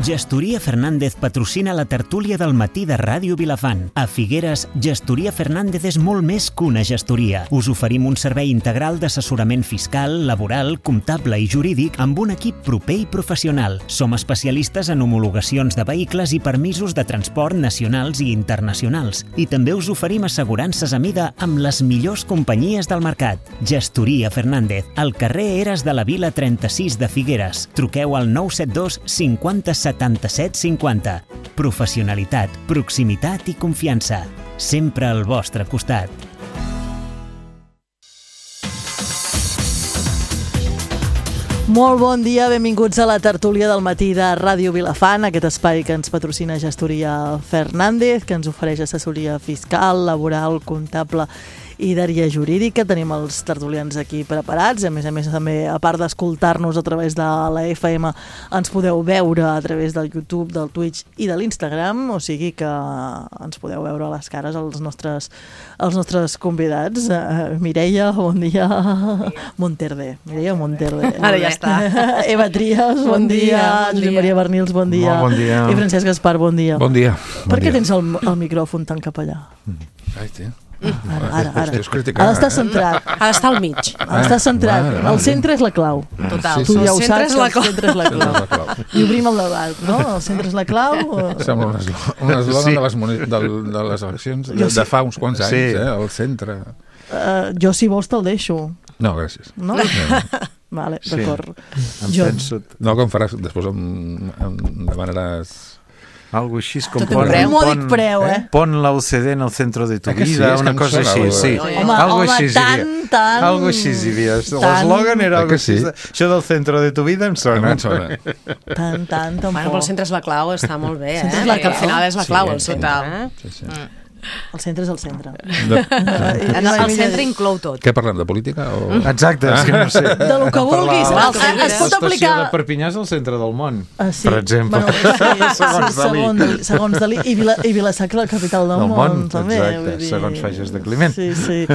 Gestoria Fernández patrocina la tertúlia del matí de Ràdio Vilafant. A Figueres, Gestoria Fernández és molt més que una gestoria. Us oferim un servei integral d'assessorament fiscal, laboral, comptable i jurídic amb un equip proper i professional. Som especialistes en homologacions de vehicles i permisos de transport nacionals i internacionals. I també us oferim assegurances a mida amb les millors companyies del mercat. Gestoria Fernández, al carrer Eres de la Vila 36 de Figueres. Truqueu al 972 50 77 50. Professionalitat, proximitat i confiança. Sempre al vostre costat. Molt bon dia, benvinguts a la tertúlia del matí de Ràdio Vilafant, aquest espai que ens patrocina Gestoria Fernández, que ens ofereix assessoria fiscal, laboral, comptable i d'àrea jurídica. Tenim els tertulians aquí preparats. A més, també, a part d'escoltar-nos a través de la FM, ens podeu veure a través del YouTube, del Twitch i de l'Instagram, o sigui que ens podeu veure a les cares els nostres convidats. Mireia, bon dia. Monterde. Mireia Monterde. Ara ja està. Eva Trias, bon dia. Josep Maria Bernils, bon dia. Bon dia. I Francesc Gaspar, bon dia. Bon dia. Per què tens el micròfon tan cap allà? Ai, tia. Ara. Ha d'estar centrat. Ha d'estar al mig. Ha d'estar centrat. El centre és la clau. Total. Tu ja ho saps, el centre és la clau. I obrim el debat, no? El centre és la clau. Sembla un eslògan de les eleccions de fa uns quants anys, al centre. Jo, si vols, te'l deixo. No, gràcies. No? Vale, d'acord. No, com faràs, després em demanaràs... Algo així com mòdic preu, pon la UCD en el centre de tu vida, una cosa així, sí. Home, tant. Algo així hi havia. L'eslògan era algo així. Això del centre de tu vida em sona. Tant, tampoc. Bueno, però el centre és la clau, està molt bé, que al final és la clau, el centre. El centre és el centre. El centre inclou tot. Què parlem, de política? Exacte, és que no sé. De lo que vulguis. Es pot aplicar... L'estació de Perpinyà és el centre del món, per exemple. Segons Dalí. I Vila-sacra, la capital del món. Exacte, segons Fages de Climent. Sí.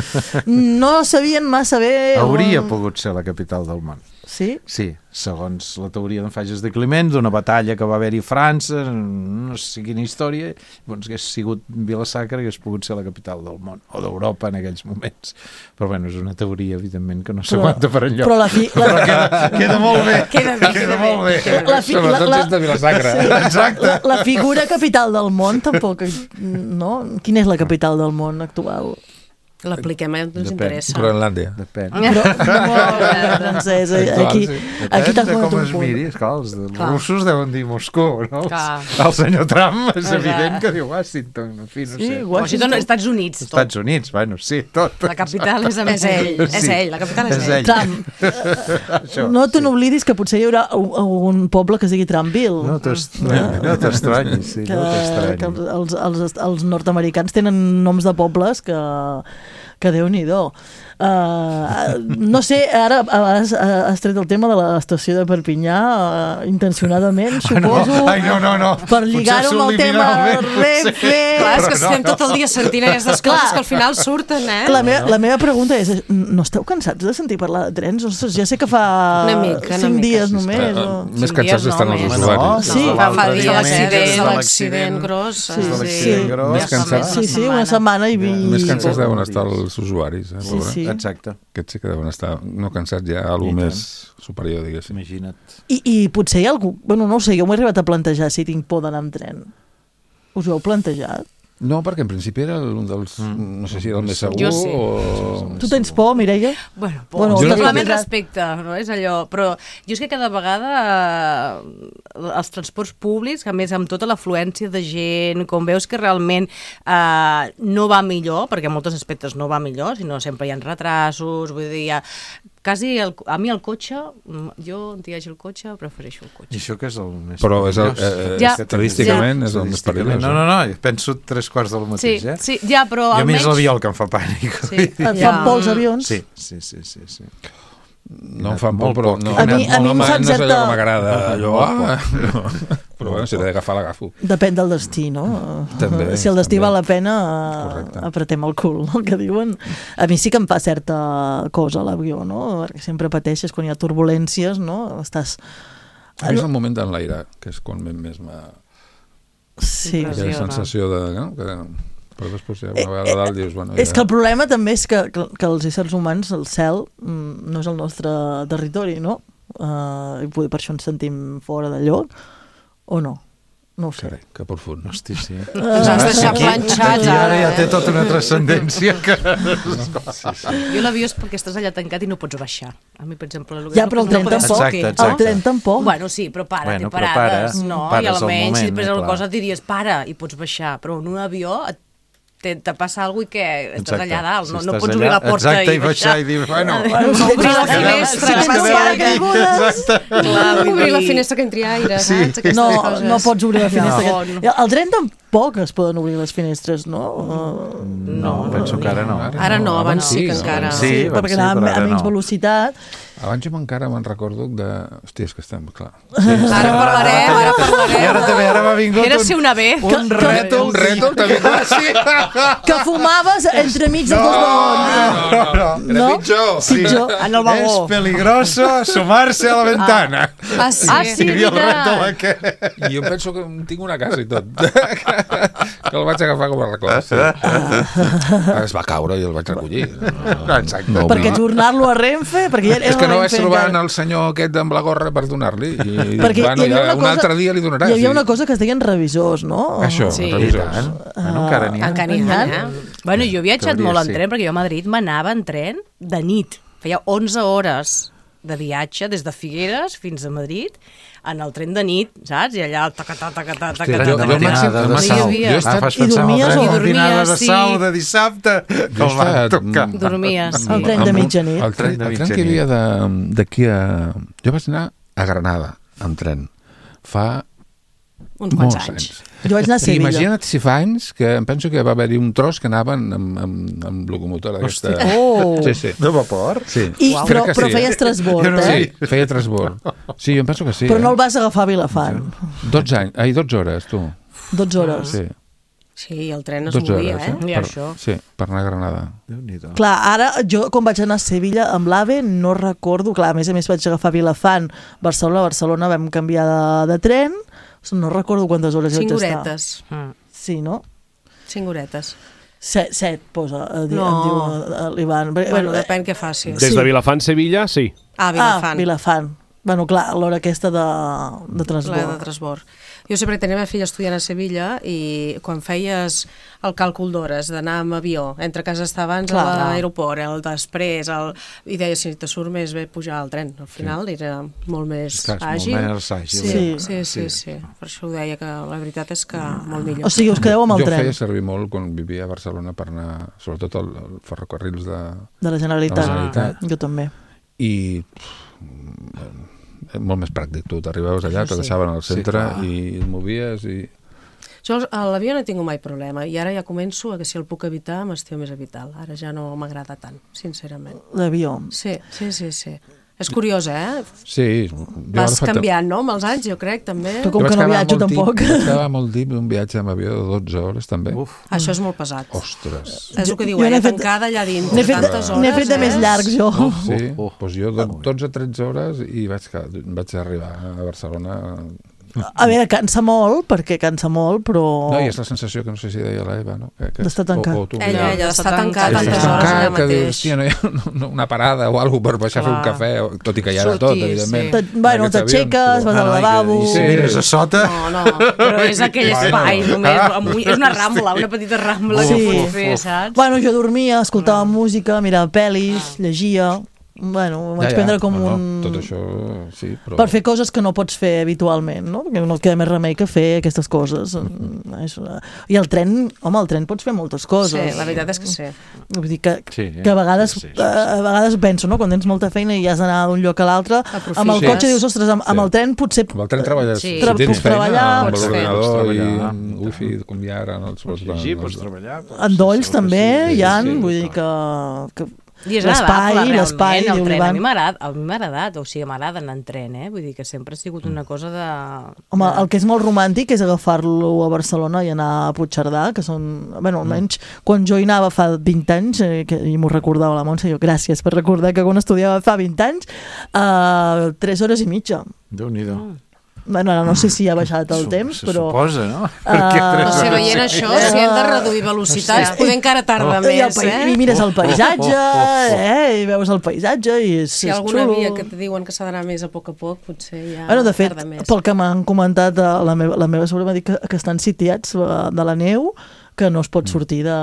No sabien massa bé... Hauria pogut ser la capital del món. Sí? Sí, segons la teoria d'en Fages de Climent, d'una batalla que va haver-hi a França, no sé quina història, doncs hagués sigut Vila-sacra, hagués pogut ser la capital del món, o d'Europa en aquells moments. Però bueno, és una teoria, evidentment, que no s'aguanta per enlloc. Però queda molt bé. Queda molt bé. Sobretot si és de Vila-sacra. Exacte. La figura capital del món tampoc, no? Quina és la capital del món actual? L'apliquem, ens interessa. Groenlàndia. Depèn. Francès, aquí t'ha de com es miri, esclar, els russos deuen dir Moscou, no? El senyor Trump és evident que diu Washington, en fi, no sé. Washington, Estats Units. Estats Units, bueno, sí, tot. La capital és ell. És ell, la capital és ell. Trump. No te n'oblidis que potser hi haurà un poble que es digui Trumpville. No t'estranyis, sí, no t'estranyis. Els nord-americans tenen noms de pobles que Déu-n'hi-do. No sé, ara has tret el tema de l'estació de Perpinyà intencionadament, suposo. Ai, no. Per lligar-ho amb el tema Renfe. Clar, és que estem tot el dia sentint aquestes coses que al final surten, La meva pregunta és, no esteu cansats de sentir parlar de trens? Ostres, ja sé que fa 5 dies només. Més cansats estan els usuaris. Sí, fa dies de l'accident gros. Més cansats. Sí, una setmana i... Més cansats deuen estar els usuaris. Sí. Exacte. Aquests sí que deuen estar no cansats ja, alguna més superior, diguéssim. Imagina't. I potser hi ha algú... Bueno, no ho sé, jo m'he arribat a plantejar si tinc por d'anar amb tren. Us ho heu plantejat? No, perquè en principi era un dels... No sé si era el més segur jo sí. o... Tu tens por, Mireia? Bueno, totalment respecte, no és allò, però jo és que cada vegada els transports públics, a més amb tota l'afluència de gent, com veus que realment no va millor, perquè en molts aspectes no va millor, sinó sempre hi ha retrasos, vull dir, quasi a mi el cotxe, jo on hi hagi el cotxe, prefereixo el cotxe. I això que és el més... Però estadísticament és el més perillós. No, penso 3/4 del mateix, Sí, ja, però almenys... I a mi és l'avió el que em fa pànic. Et fan por els avions? Sí. No em fan por, però no a mi és allò certa... que m'agrada. Però bueno, si l'he d'agafar, l'agafo. Depèn del destí, no? També, si el destí val la pena, apretem el cul, no? Que diuen. A mi sí que em fa certa cosa l'avió, no? Perquè sempre pateixes quan hi ha turbulències, no? Estàs És el moment d'enlairar, que és quan més m'ha... Sí. Aquella sensació de... No? Però després ja una vegada a dalt dius... Bueno, és que el problema també és que els éssers humans, el cel, no és el nostre territori, no? I per això ens sentim fora de lloc, o no? No ho sé. Carai, que profund. Hosti, sí. Ens has deixat planxats. I ara ja té tota una transcendència que... Jo l'avió és perquè estàs allà tancat i no pots baixar. A mi, per exemple... Ja, però el tren tampoc. Exacte. El tren tampoc. Bueno, sí, però Bueno, té però parades, pares, no? pares I al almenys, moment, si després alguna clar. cosa et diries, para, i pots baixar. Però en un avió te passa alguna cosa que estàs allà dalt, no pots obrir la porta i baixar i dir, bueno... Obrir la finestra, obrir la finestra que entri aire, saps? No pots obrir la finestra. El tren tampoc es poden obrir les finestres, no? No, penso que ara no. Ara no, abans sí que encara. Sí, perquè anava a menys velocitat. Abans jo encara me'n recordo de... Hòstia, és que estem, clar. Ara parlarem. I ara m'ha vingut Era ser una B. un rètol també. Que fumaves entremig dels dos vagons. Era pitjor. Pitjor. En el vagó. És peligroso asomarse a la ventana. Ah, sí? Hi havia el rètol aquest. I jo penso que tinc una casa i tot. Que el vaig agafar com a record. Sí. Es va caure i el vaig recollir. Exacte. No, Perquè tornar-lo a Renfe... és que no vaig trobar el senyor aquest amb la gorra per donar-li. I perquè bueno, un altre dia li donaràs. Hi havia una cosa que es deien revisors, no? Això, Sí. revisors. Encara n'hi ha. Encara n'hi ha. Bueno, jo he viatjat molt en sí. tren, perquè jo a Madrid m'anava en tren de nit. Feia 11 hores de viatge des de Figueres fins a Madrid en el tren de nit, saps? I allà tacatà. Fas pensar en el tren de matinada de sal de dissabte que el van tocar. Dormies. El tren de mitjanit. El tren que hi havia d'aquí a... Jo vaig anar a Granada amb tren fa Uns quants molts anys. Jo vaig anar a I Sevilla. imagina't si fa anys que em penso que va haver-hi un tros que anaven amb locomotora aquesta... Oh. Sí. De vapor? Sí. Però Crec que sí, feies transbord, Sí, feia transbord. Sí, jo em penso que sí. Però no el vas agafar a Vilafant. 12 hores, tu. 12 hores. Sí, Sí, el tren es 12 movia, hores, I això. Sí, per anar a Granada. Déu-n'hi-do. Clar, ara jo quan vaig anar a Sevilla amb l'AVE no recordo, clar, a més vaig agafar Vilafant, Barcelona vam canviar de tren, no recordo quantes hores hi vaig 5 estar. horetes. Sí, no? 5 horetes. 7 posa, em No. diu l'Ivan. Bueno, depèn què facis. Des de Vilafant, Sevilla, sí. Ah, Vilafant. Vilafant. Bueno, clar, a l'hora aquesta de transbord. La de transbord. Jo sempre tenia meva filla estudiant a Sevilla i quan feies el càlcul d'hores d'anar amb avió, entre casa estar abans Clar. a l'aeroport, el després, i deia si te surt més bé pujar al tren. Al final era molt més Clar, és molt àgil. més àgil. Sí. Per això ho deia, que la veritat és que molt millor. O sigui, us quedeu amb el Jo tren feia servir molt quan vivia a Barcelona per anar, sobretot el ferrocarrils de la de la Generalitat. Generalitat. Jo també. i molt més pràctic, tu t'arribaves allà, te deixaven al centre i et movies i... Jo a l'avió no he tingut mai problema i ara ja començo a que si el puc evitar m'estiu més evitar. Ara ja no m'agrada tant, sincerament. L'avió. Sí. És curiós, eh? Sí. Vas canviant, no? Amb els anys, jo crec, també. Però com que no viatjo tampoc. Vaig quedar molt tip un viatge amb avió de 12 hores, també. Això és molt pesat. Ostres. És el que diu Jo ella, n'he fet- tancada allà dins. N'he fet tantes hores, n'he fet de més llargs, jo. Sí, doncs jo 12-13 hores i vaig arribar a Barcelona. A veure, cansa molt, però... No, i és la sensació que no sé si deia l'Eva, no? D'estar tancat. o tu, Ella està tancat Estàs tantes hores allà tancat, que dius, mateix. hòstia, no hi ha una parada o alguna per baixar a fer un cafè, tot i que hi ha de tot, Sortir, evidentment. sí. Bueno, En aquests t'aixeques, avions, vas al lavabo... I si mires a sota... No, però és aquell espai només, és una rambla, una petita rambla que pots fer, saps? Bueno, jo dormia, escoltava música, mirava pel·lis, llegia... Bueno, ho vaig prendre com un... Tot això, sí, però... Per fer coses que no pots fer habitualment, no? Perquè no et queda més remei que fer aquestes coses. I el tren, home, el tren pots fer moltes coses. Sí, la veritat és que sí. Vull dir que Sí, a vegades, sí. a vegades penso, no? Quan tens molta feina i has d'anar d'un lloc a l'altre, Aprofites. amb el cotxe dius, ostres, amb el tren potser... Amb el tren treballes, Sí. si tens Puc feina, treballar, amb pots fer. l'ordinador i Treballar. amb wifi, com hi ha ara... Pots llegir, pots treballar... Endolls també hi ha, sí, vull dir que I és l'espai, agradable, l'espai, realment, el diu tren. l'Ivan. A mi m'ha agradat, o sigui, m'agrada anar en tren, vull dir que sempre ha sigut una cosa de... Home, el que és molt romàntic és agafar-lo a Barcelona i anar a Puigcerdà, que són... Bueno, almenys quan jo hi anava fa 20 anys, i m'ho recordava la Montse, jo gràcies per recordar que quan estudiava fa 20 anys, 3 hores i mitja. Déu-n'hi-do. Bueno, no sé si ha baixat el temps, però... Se suposa, no? No sé, veient això, si hem de reduir velocitats, poder encara tarda més, I mires el paisatge, i veus el paisatge, i és Si hi ha alguna xulo. via que te diuen que s'ha d'anar més a poc, potser ja Bueno, de fet, tarda més. pel que m'han comentat, la meva sogra m'ha dit que estan sitiats de la neu, que no es pot sortir de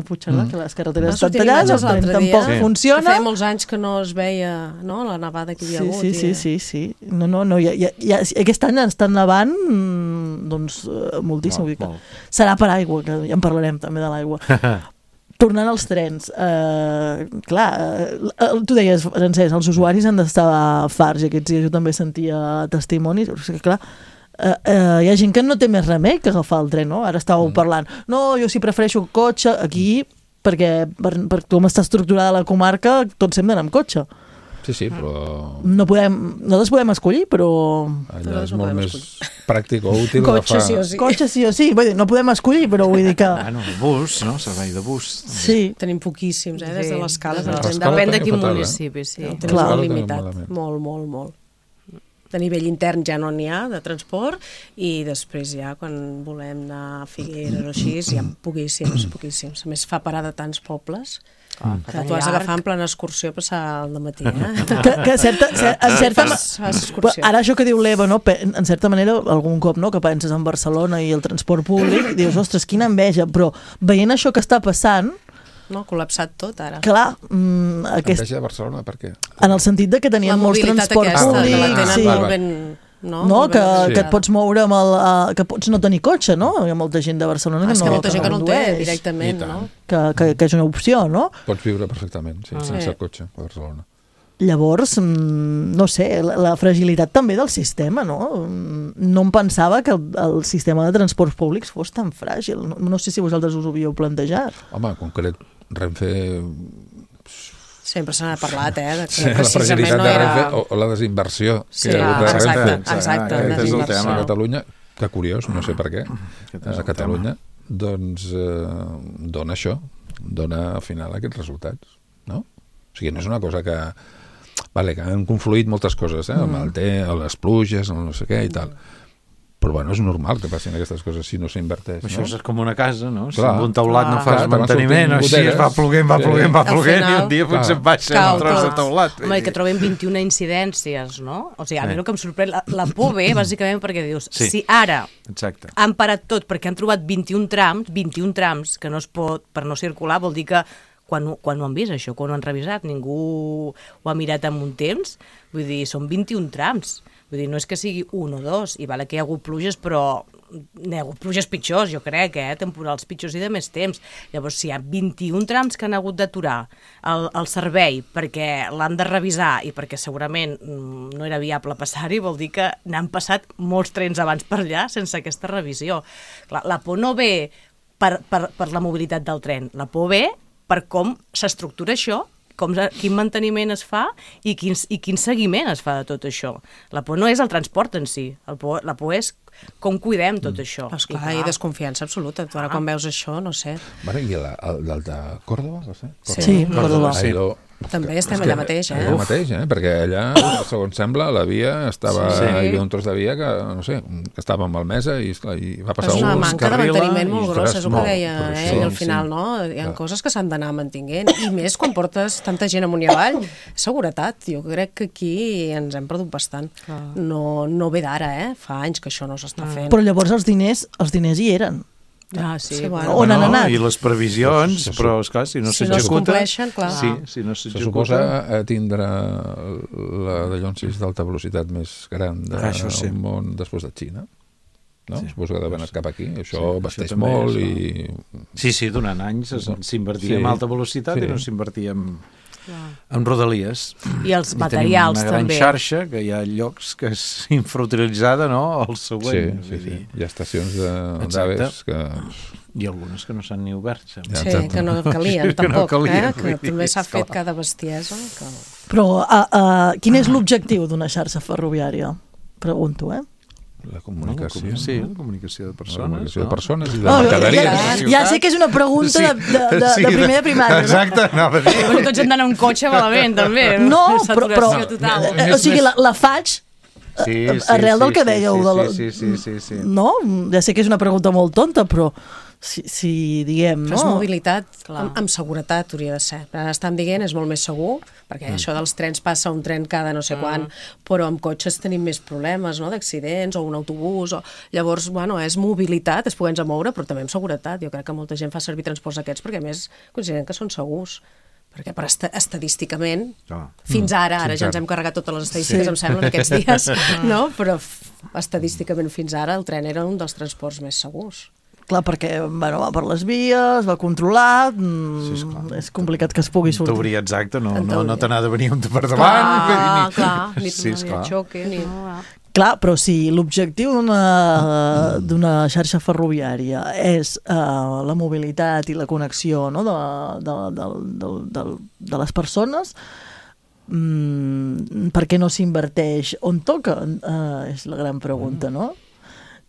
Puigcerdà, que les carreteres estan tallades, el tren tampoc funciona. Feia molts anys que no es veia la nevada que hi havia hagut. Sí. No, aquest any estan nevant doncs moltíssim. Serà per aigua, que ja en parlarem també de l'aigua. Tornant als trens, clar, tu deies, Francesc, els usuaris han d'estar farts, i aquests dies jo també sentia testimonis, perquè clar, hi ha gent que no té més remei que agafar el tren, no? Ara estàveu parlant, no, jo sí prefereixo cotxe aquí, perquè per com està estructurada la comarca, tots hem d'anar amb cotxe. Sí, però... Nosaltres podem escollir, però... Allà és molt més pràctic o útil Cotxe sí o sí. Cotxe sí o sí, vull dir, no podem escollir, però vull dir que... Bueno, bus, no? Servei de bus. Sí. Tenim poquíssims, des de l'escala. Depèn de quin municipi, sí. Tenim molt limitat, molt. De nivell intern ja no n'hi ha, de transport, i després ja, quan volem anar a Figueres o així, hi ha poquíssims. A més, fa parar de tants pobles que tu has d'agafar en plena excursió a passar el dematí. Que en certa... Ara això que diu l'Eva, no? En certa manera, algun cop no? Que penses en Barcelona i el transport públic, i dius, ostres, quina enveja, però veient això que està passant... No, col·lapsat tot, ara. Clar, Enveja de Barcelona, per què? En el sentit de que tenien molts transports públics, que et pots moure amb que pots no tenir cotxe, no? Hi ha molta gent de Barcelona que molta gent que no el té directament, no? Que és una opció, no? Pots viure perfectament, sense cotxe a Barcelona. Llavors, no sé, la fragilitat també del sistema, no? No em pensava que el sistema de transports públics fos tan fràgil. No sé si vosaltres us ho havíeu plantejat. Home, en concret, Renfe... Sempre se n'ha parlat, que la fragilitat de Renfe o la desinversió que hi ha hagut de Renfe. Exacte. Aquest és el tema. A Catalunya, que curiós, no sé per què, a Catalunya, doncs dona això, dona al final aquests resultats, no? O sigui, no és una cosa que... Vale, que han confluït moltes coses, amb el té, les pluges, el no sé què i tal. Però bueno, és normal que passin aquestes coses si no s'inverteix. Això és com una casa, no? Si amb un teulat no fas manteniment, així es va ploguent, i un dia potser baixa un tros de teulat. Home, i que trobem 21 incidències, no? O sigui, a mi el que em sorprèn, la por ve, bàsicament, perquè dius, si ara han parat tot perquè han trobat 21 trams que no es pot, per no circular, vol dir que quan ho han vist, això, quan ho han revisat, ningú ho ha mirat en un temps, vull dir, són 21 trams. Vull dir, no és que sigui un o dos, i vale que hi ha hagut pluges, però hi ha hagut pluges pitjors, jo crec, temporals pitjors i de més temps. Llavors, si hi ha 21 trams que han hagut d'aturar el servei perquè l'han de revisar i perquè segurament no era viable passar-hi, vol dir que n'han passat molts trens abans per allà sense aquesta revisió. Clar, la por no ve per la mobilitat del tren, la por ve per com s'estructura això, quin manteniment es fa i quin seguiment es fa de tot això. La por no és el transport en si, la por és com cuidem tot això. Esclar, i desconfiança absoluta. Tu ara quan veus això, no sé. I el de Còrdova, va ser? Sí, Còrdova. També estem allà mateix, Allà mateix, perquè allà, segons sembla, la via estava... Hi havia un tros de via que, no sé, que estava malmesa i va passar un... És una manca de manteniment molt grossa, és el que deia ell al final, no? Hi ha coses que s'han d'anar mantinguent, i més quan portes tanta gent amunt i avall. Seguretat, jo crec que aquí ens hem perdut bastant. No ve d'ara, fa anys que això no s'està fent. Però llavors els diners hi eren. Sí. On han anat? I les previsions, però esclar, si no s'executa... Si no s'executa... Se suposa tindre la de Llonsis d'alta velocitat més gran del món després de Xina. No? Suposo que ha d'aver anat cap aquí. Això vesteix molt i... Sí, durant anys s'invertia en alta velocitat i no s'invertia en rodalies. I els materials també. Tenim una gran xarxa, que hi ha llocs que és infrautilitzada, no? El següent. Sí. Hi ha estacions d'AVEs que... I algunes que no s'han ni obert. Sí, que no calien, tampoc. Que també s'ha fet cada bestiesa. Però quin és l'objectiu d'una xarxa ferroviària? Pregunto, La comunicació. Sí, la comunicació de persones. La comunicació de persones i de mercaderies. Ja sé que és una pregunta de primer de primària. Exacte, anava a dir. Tots hem d'anar en un cotxe malament, també. No, però o sigui, la faig arrel del que dèieu. Sí. No? Ja sé que és una pregunta molt tonta, però si diguem... Però és mobilitat amb seguretat, hauria de ser. Estan dient és molt més segur, perquè això dels trens passa un tren cada no sé quan, però amb cotxes tenim més problemes, no?, d'accidents, o un autobús, llavors, bueno, és mobilitat, és poder-nos moure, però també amb seguretat. Jo crec que molta gent fa servir transports aquests perquè, a més, consideren que són segurs. Perquè estadísticament, fins ara ja ens hem carregat totes les estadístiques, em sembla, en aquests dies, no? Però estadísticament fins ara el tren era un dels transports més segurs. Clar, perquè va per les vies, va controlat, és complicat que es pugui sortir. T'obria exacte, no te n'ha de venir un per davant. Clar, ni xoque, ni... Clar, però si l'objectiu d'una xarxa ferroviària és la mobilitat i la connexió, no?, de les persones, per què no s'inverteix on toca? És la gran pregunta, no?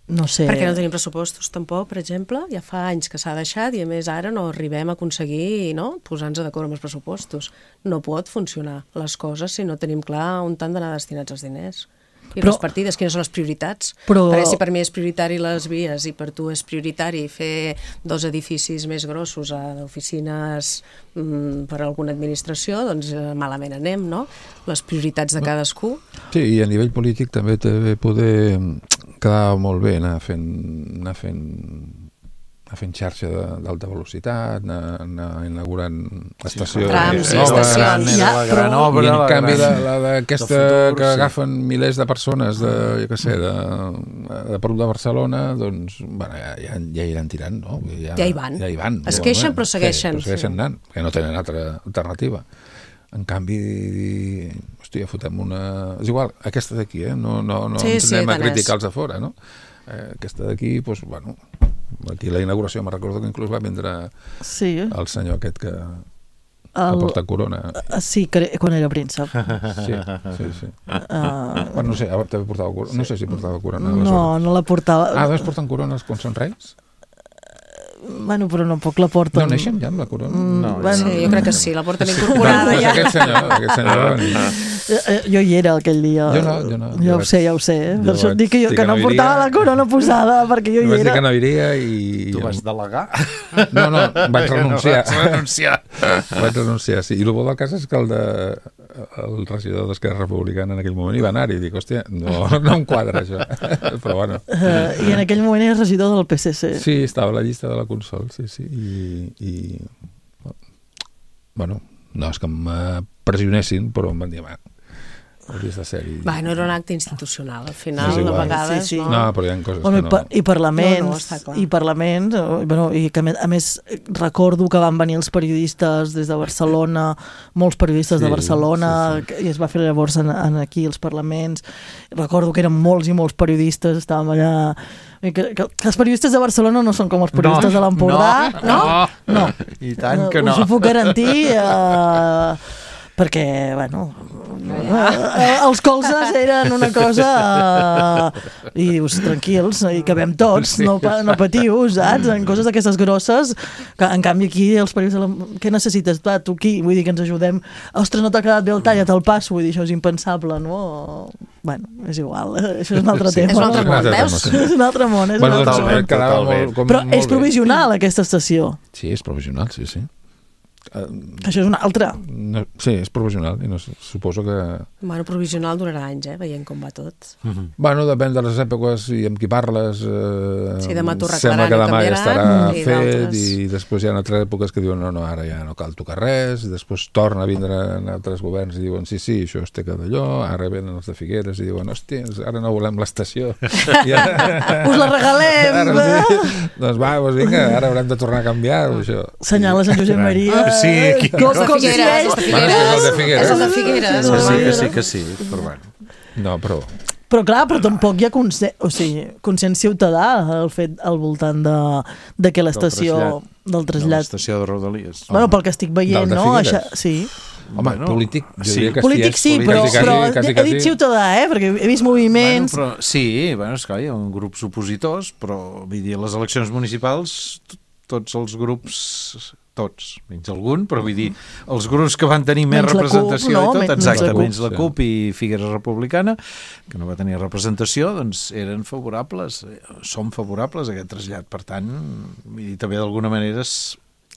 No sé. Perquè no tenim pressupostos tampoc, per exemple, ja fa anys que s'ha deixat i a més ara no arribem a aconseguir, no?, posar-nos d'acord amb els pressupostos. No pot funcionar les coses si no tenim clar on han d'anar destinats els diners. I les partides, quines són les prioritats? Perquè si per mi és prioritari les vies i per tu és prioritari fer 2 edificis més grossos d'oficines per a alguna administració, doncs malament anem, no? Les prioritats de cadascú. Sí, i a nivell polític també poder quedar molt bé anar fent xarxa d'alta velocitat, anar inaugurant estacions noves, la gran obra, i en canvi aquesta que agafen milers de persones de prop de Barcelona, doncs ja iran tirant, no? Ja hi van. Es queixen però segueixen. Però segueixen anant, perquè no tenen altra alternativa. En canvi, hòstia, fotem una... És igual, aquesta d'aquí, no ens anem a criticar els de fora, no? Aquesta d'aquí, doncs, bueno... Aquí la inauguració me recordo que inclús va vindre el senyor aquest que porta corona. Sí, quan era príncep. Sí. Bueno, no sé, també portava corona. No sé si portava corona. No la portava. Doncs porten corones quan són reis? Bueno, però no poc la porten. No neixen ja amb la corona? No, sí, jo crec que sí, la porten incorporada ja. Aquest senyor... Jo hi era aquell dia. Jo no. Ja ho sé. Per això et dic que no portava la corona posada, perquè jo hi era. Vaig dir que no iria i... Tu vas delegar? No, vaig renunciar. Vaig renunciar, sí. I el bo del cas és que el regidor d'Esquerra Republicana en aquell moment hi va anar i dic, hòstia, no em quadra això. Però bueno. I en aquell moment era regidor del PSC. Sí, estava a la llista de la Consol, sí. I bueno, no és que pressionessin, però em van dir, hauries de ser-hi. No era un acte institucional, al final, a vegades... Sí. No, però hi ha coses que no... I parlaments, i que a més recordo que van venir els periodistes des de Barcelona, molts periodistes de Barcelona, i es va fer llavors aquí els parlaments. Recordo que eren molts i molts periodistes, estàvem allà... Que els periodistes de Barcelona no són com els periodistes de l'Empordà. No. I tant que no. Us ho puc garantir... perquè, els colzes eren una cosa i dius, tranquils, hi cabem tots, no patiu, saps? En coses d'aquestes grosses, que en canvi aquí els periodistes, què necessites? Tu aquí, vull dir que ens ajudem, ostres, no t'ha quedat bé el tall, te'l passo, vull dir, això és impensable, no? Bueno, és igual, això és un altre tema. És un altre món, veus? És un altre món, Però és provisional, aquesta estació. Sí, és provisional, sí. Això és una altra. Sí, és provisional i no suposo que... provisional durarà anys, veient com va tot. Depèn de les èpoques i amb qui parles. Demà t'ho sembla que demà ja estarà fet i i després hi ha altres èpoques que diuen no, ara ja no cal tocar res, i després torna a vindre en altres governs i diuen sí, això es té que d'allò, ara venen els de Figueres i diuen, hòstia, ara no volem l'estació. Us la regalem! Doncs vinga, ara haurem de tornar a canviar això. Senyales en Josep Maria. Sí, aquí. És de Figueres. Que sí. Però bueno. No, però... Però clar, tampoc hi ha consens ciutadà al voltant de que l'estació del trasllat... De l'estació de Rodalies. Pel que estic veient, no? Sí. Home, polític, jo diria que polític sí, però he dit ciutadà, perquè he vist moviments... Sí, esclar, hi ha grups opositors, però vull dir, les eleccions municipals tots els grups tots, menys algun, però vull dir, els grups que van tenir més menys representació CUP, no? i tot, exacte, menys la sí. CUP i Figueres Republicana, que no va tenir representació, doncs eren favorables, som favorables a aquest trasllat. Per tant, vull dir, també d'alguna manera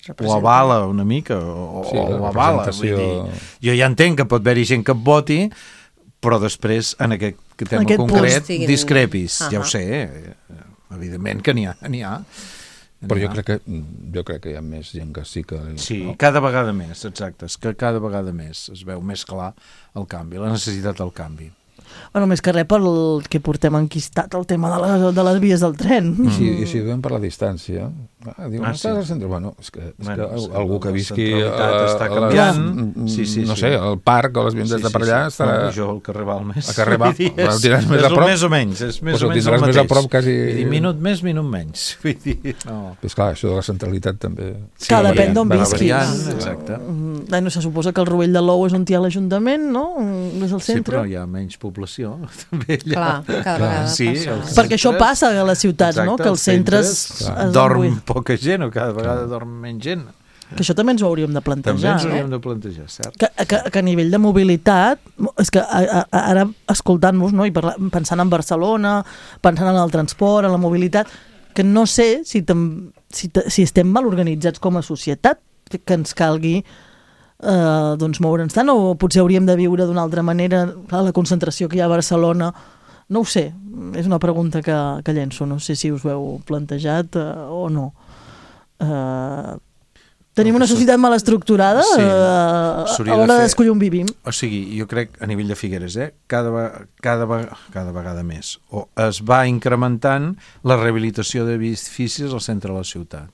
ho avala una mica, o ho avala. Vull dir, jo ja entenc que pot haver-hi gent que et voti, però després, en aquest tema concret, discrepis. Ja ho sé, evidentment que n'hi ha. Però jo crec que hi ha més gent que sí que... Sí, no? Cada vegada més, exacte. És que cada vegada més es veu més clar el canvi, la necessitat del canvi. Bueno, més que res pel que portem enquistat el tema de les vies del tren. I si veiem per la distància, diu, no estàs al centre? Bueno, és que algú que visqui està canviant. No sé, el parc o les viandes de per allà estarà... Jo al carrer Balmes. A carrer Balmes, el tindràs més a prop? Més o menys, és més o menys el mateix. Més a prop, quasi... Minut més, minut menys. Vull dir, no. És clar, això de la centralitat també... Que depèn d'on visquis. Exacte. No se suposa que el Rovell de l'Ou és on hi ha l'Ajuntament, no? És el centre. Sí, però hi ha menys població. També allà. Clar, cada vegada passa. Perquè això passa a les ciutats, no? Que els centres... Dorm poca gent o cada vegada dorm menys gent. Que això també ens ho hauríem de plantejar. També ens ho hauríem de plantejar, cert. Que a nivell de mobilitat, és que ara escoltant-vos, no? I pensant en Barcelona, pensant en el transport, en la mobilitat, que no sé si estem mal organitzats com a societat, que ens calgui doncs moure'ns tant, o potser hauríem de viure d'una altra manera. Clar, la concentració que hi ha a Barcelona, no ho sé, és una pregunta que llenço, no sé si us ho heu plantejat o no. Tenim una societat mal estructurada a l'hora d'escollir on vivim. O sigui, jo crec a nivell de Figueres, cada vegada més, o es va incrementant la rehabilitació d'edificis al centre de la ciutat.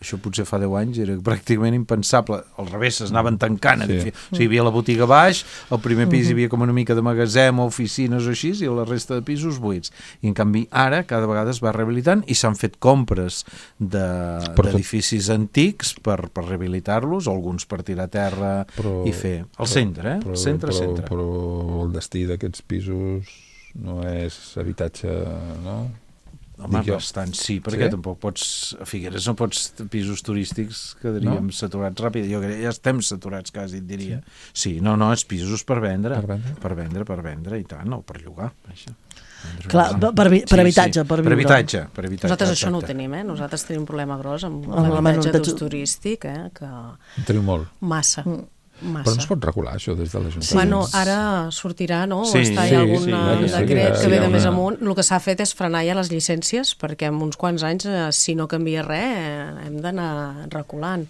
Això potser fa 10 anys era pràcticament impensable. Al revés, s'anaven tancant. Sí. O sigui, hi havia la botiga baix, al primer pis hi havia com una mica de magatzem o oficines o així, i la resta de pisos buits. I en canvi ara cada vegada es va rehabilitant i s'han fet compres d'edificis antics per rehabilitar-los, alguns per tirar a terra i fer. Al centre, centre. Però el destí d'aquests pisos no és habitatge, no? Home, bastant sí, perquè tampoc pots, a Figueres no pots, pisos turístics quedaríem saturats ràpid. Jo crec que ja estem saturats quasi, et diria. Sí, no, és pisos per vendre. Per vendre, i tant, o per llogar. Això. Clar, per habitatge, per viure. Per habitatge. Nosaltres això no ho tenim, Nosaltres tenim un problema gros amb l'habitatge d'ús turístic, que... Teniu molt. Massa. Però no es pot regular això des de l'Ajuntament? Sí. Bueno, ara sortirà, no? O està hi algun decret que ve de més amunt. El que s'ha fet és frenar ja les llicències, perquè en uns quants anys, si no canvia res, hem d'anar reculant.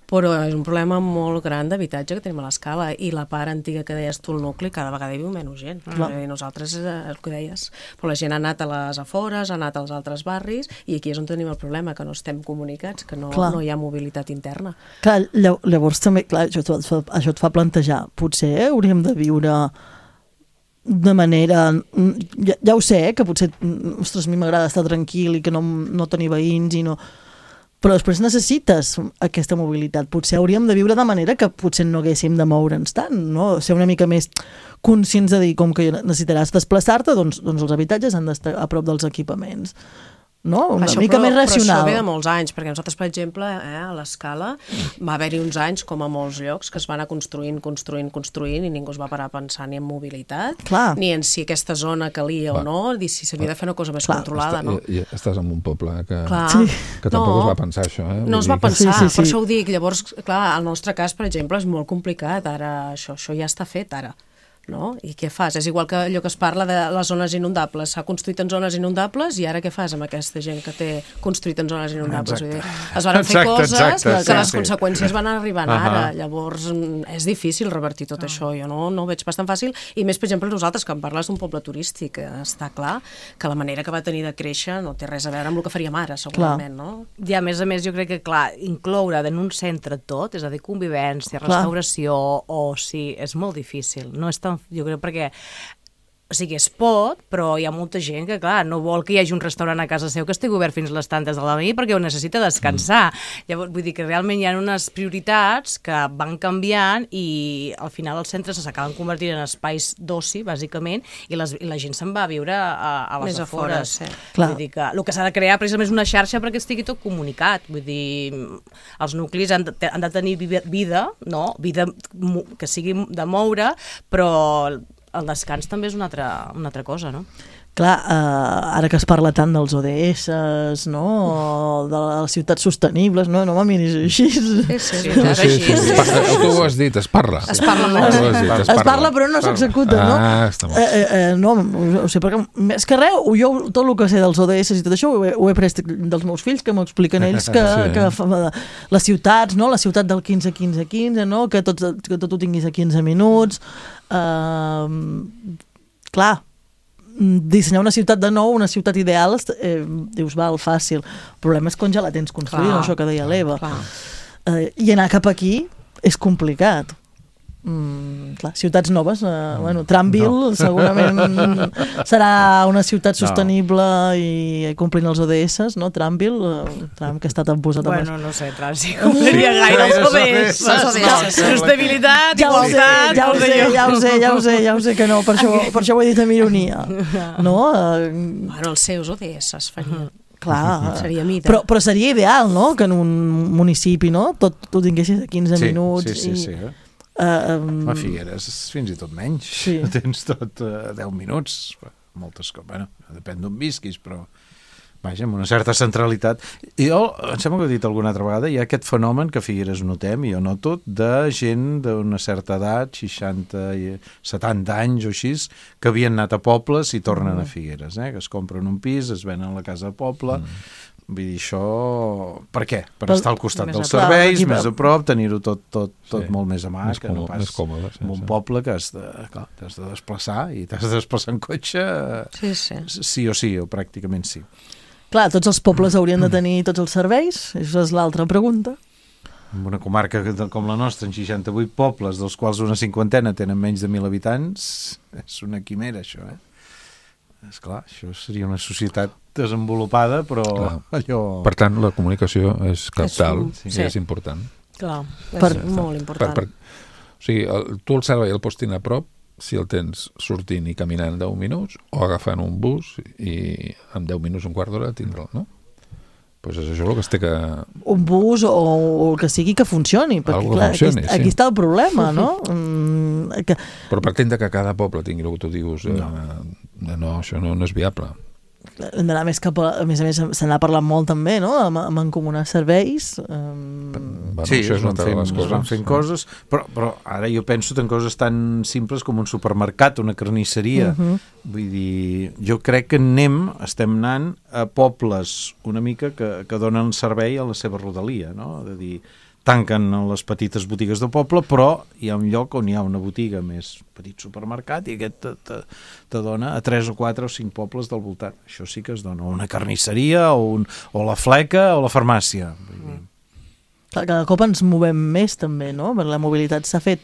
Però és un problema molt gran d'habitatge que tenim a l'escala, i la part antiga que deies tu, el nucli, cada vegada hi viu menys gent. Nosaltres, el que deies, però la gent ha anat a les afores, ha anat als altres barris, i aquí és on tenim el problema, que no estem comunicats, que no hi ha mobilitat interna. Clar, llavors també, això et fa plantejar, potser hauríem de viure de manera... Ja ho sé, que potser, ostres, a mi m'agrada estar tranquil i que no tenir veïns i no... Però després necessites aquesta mobilitat. Potser hauríem de viure de manera que potser no haguéssim de moure'ns tant, no? Ser una mica més conscients de dir, com que necessitaràs desplaçar-te, doncs els habitatges han d'estar a prop dels equipaments. No? Una mica més racional. Però això ve de molts anys, perquè nosaltres, per exemple, a l'escala va haver-hi uns anys, com a molts llocs, que es van anar construint i ningú es va parar a pensar ni en mobilitat, ni en si aquesta zona calia o no, ni si s'havia de fer una cosa més controlada. Estàs en un poble que tampoc es va pensar això. No es va pensar, per això ho dic. Llavors, clar, el nostre cas, per exemple, és molt complicat. Ara això ja està fet, ara. No? I què fas? És igual que allò que es parla de les zones inundables. S'ha construït en zones inundables i ara què fas amb aquesta gent que té construït en zones inundables? Es van fer coses que les conseqüències van arribant ara. Llavors és difícil revertir tot això. Jo no ho veig bastant fàcil. I més, per exemple, nosaltres, que em parles d'un poble turístic, està clar que la manera que va tenir de créixer no té res a veure amb el que faríem ara, segurament. No? I a més, jo crec que, clar, incloure en un centre tot, és a dir, convivència, restauració, oci, és molt difícil. No és tan... Jo crec perquè O sigui, es pot, però hi ha molta gent que, clar, no vol que hi hagi un restaurant a casa seu que estigui obert fins a les tantes de la nit perquè ho necessita descansar. Llavors, vull dir que realment hi ha unes prioritats que van canviant i al final els centres s'acaben convertint en espais d'oci, bàsicament, i la gent se'n va a viure a les Més afores. afores, Vull dir que el que s'ha de crear precisament és una xarxa perquè estigui tot comunicat. Vull dir, els nuclis han de tenir vida, no? Vida que sigui de moure, però el descans també és una altra cosa, no? Clar, ara que es parla tant dels ODS, no? De les ciutats sostenibles, no me miris així. Sí. Tu ho has dit, es parla. Es parla molt. Es parla però no s'executa, no? Està molt. No, ho sé, perquè més que res, jo tot el que sé dels ODS i tot això ho he pres dels meus fills, que m'ho expliquen ells, que les ciutats, no? La ciutat del 15-15-15, no? Que tot ho tinguis a 15 minuts. Clar, dissenyar una ciutat de nou, una ciutat ideal, dius, val, fàcil. El problema és quan ja la tens construïda, això que deia l'Eva. I anar cap aquí és complicat. Clar, ciutats noves, Tranville segurament serà una ciutat sostenible i complint els ODS, no? Tranville, que ha estat posat no sé, si compliria gaire els ODS. Sostenibilitat, igualtat... Ja ho sé que no, per això ho he dit amb ironia. No? Els seus ODS es farien. Clar, seria mida. Però seria ideal, no?, que en un municipi, no?, tot ho tinguessis a 15 minuts. Sí. A Figueres fins i tot menys. Tens tot 10 minuts. Moltes coses. Bueno, depèn d'on visquis, però vaja, amb una certa centralitat. I em sembla que he dit alguna altra vegada, hi ha aquest fenomen que a Figueres notem, i jo noto, de gent d'una certa edat, 60 i 70 anys o així, que havien anat a pobles i tornen a Figueres, que es compren un pis, es venen a la casa de poble. Vull dir, això... Per què? Per estar al costat dels serveis, més a prop, tenir-ho tot molt més a mà, que no pas en un poble que has de desplaçar, i t'has de desplaçar en cotxe sí o sí, o pràcticament sí. Clar, tots els pobles haurien de tenir tots els serveis? Això és l'altra pregunta. En una comarca com la nostra, en 68 pobles, dels quals una cinquantena tenen menys de 1.000 habitants, és una quimera, això, Esclar, això seria una societat desenvolupada, però allò... Per tant, la comunicació és cabdal, és important. Clar, és molt important. O sigui, tu el servei el pots tenir a prop si el tens sortint i caminant 10 minuts o agafant un bus i en 10 minuts, un quart d'hora tindre'l, no? Doncs és això el que es té que... Un bus o el que sigui que funcioni, perquè clar, aquí està el problema, no? Però partint que cada poble tingui el que tu dius, no, això no és viable. Hem d'anar més cap a més se n'ha parlat molt també, no?, amb encomanar serveis. Sí, es van fent coses, però ara jo penso en coses tan simples com un supermercat, una carnisseria. Vull dir, jo crec que estem anant a pobles una mica que donen servei a la seva rodalia, no? És a dir, tanquen les petites botigues del poble, però hi ha un lloc on hi ha una botiga més petit supermercat i aquest te dona a 3 o 4 o 5 pobles del voltant. Això sí que es dona. O una carnisseria, o la fleca, o la farmàcia. Cada cop ens movem més també, no? Perquè la mobilitat s'ha fet...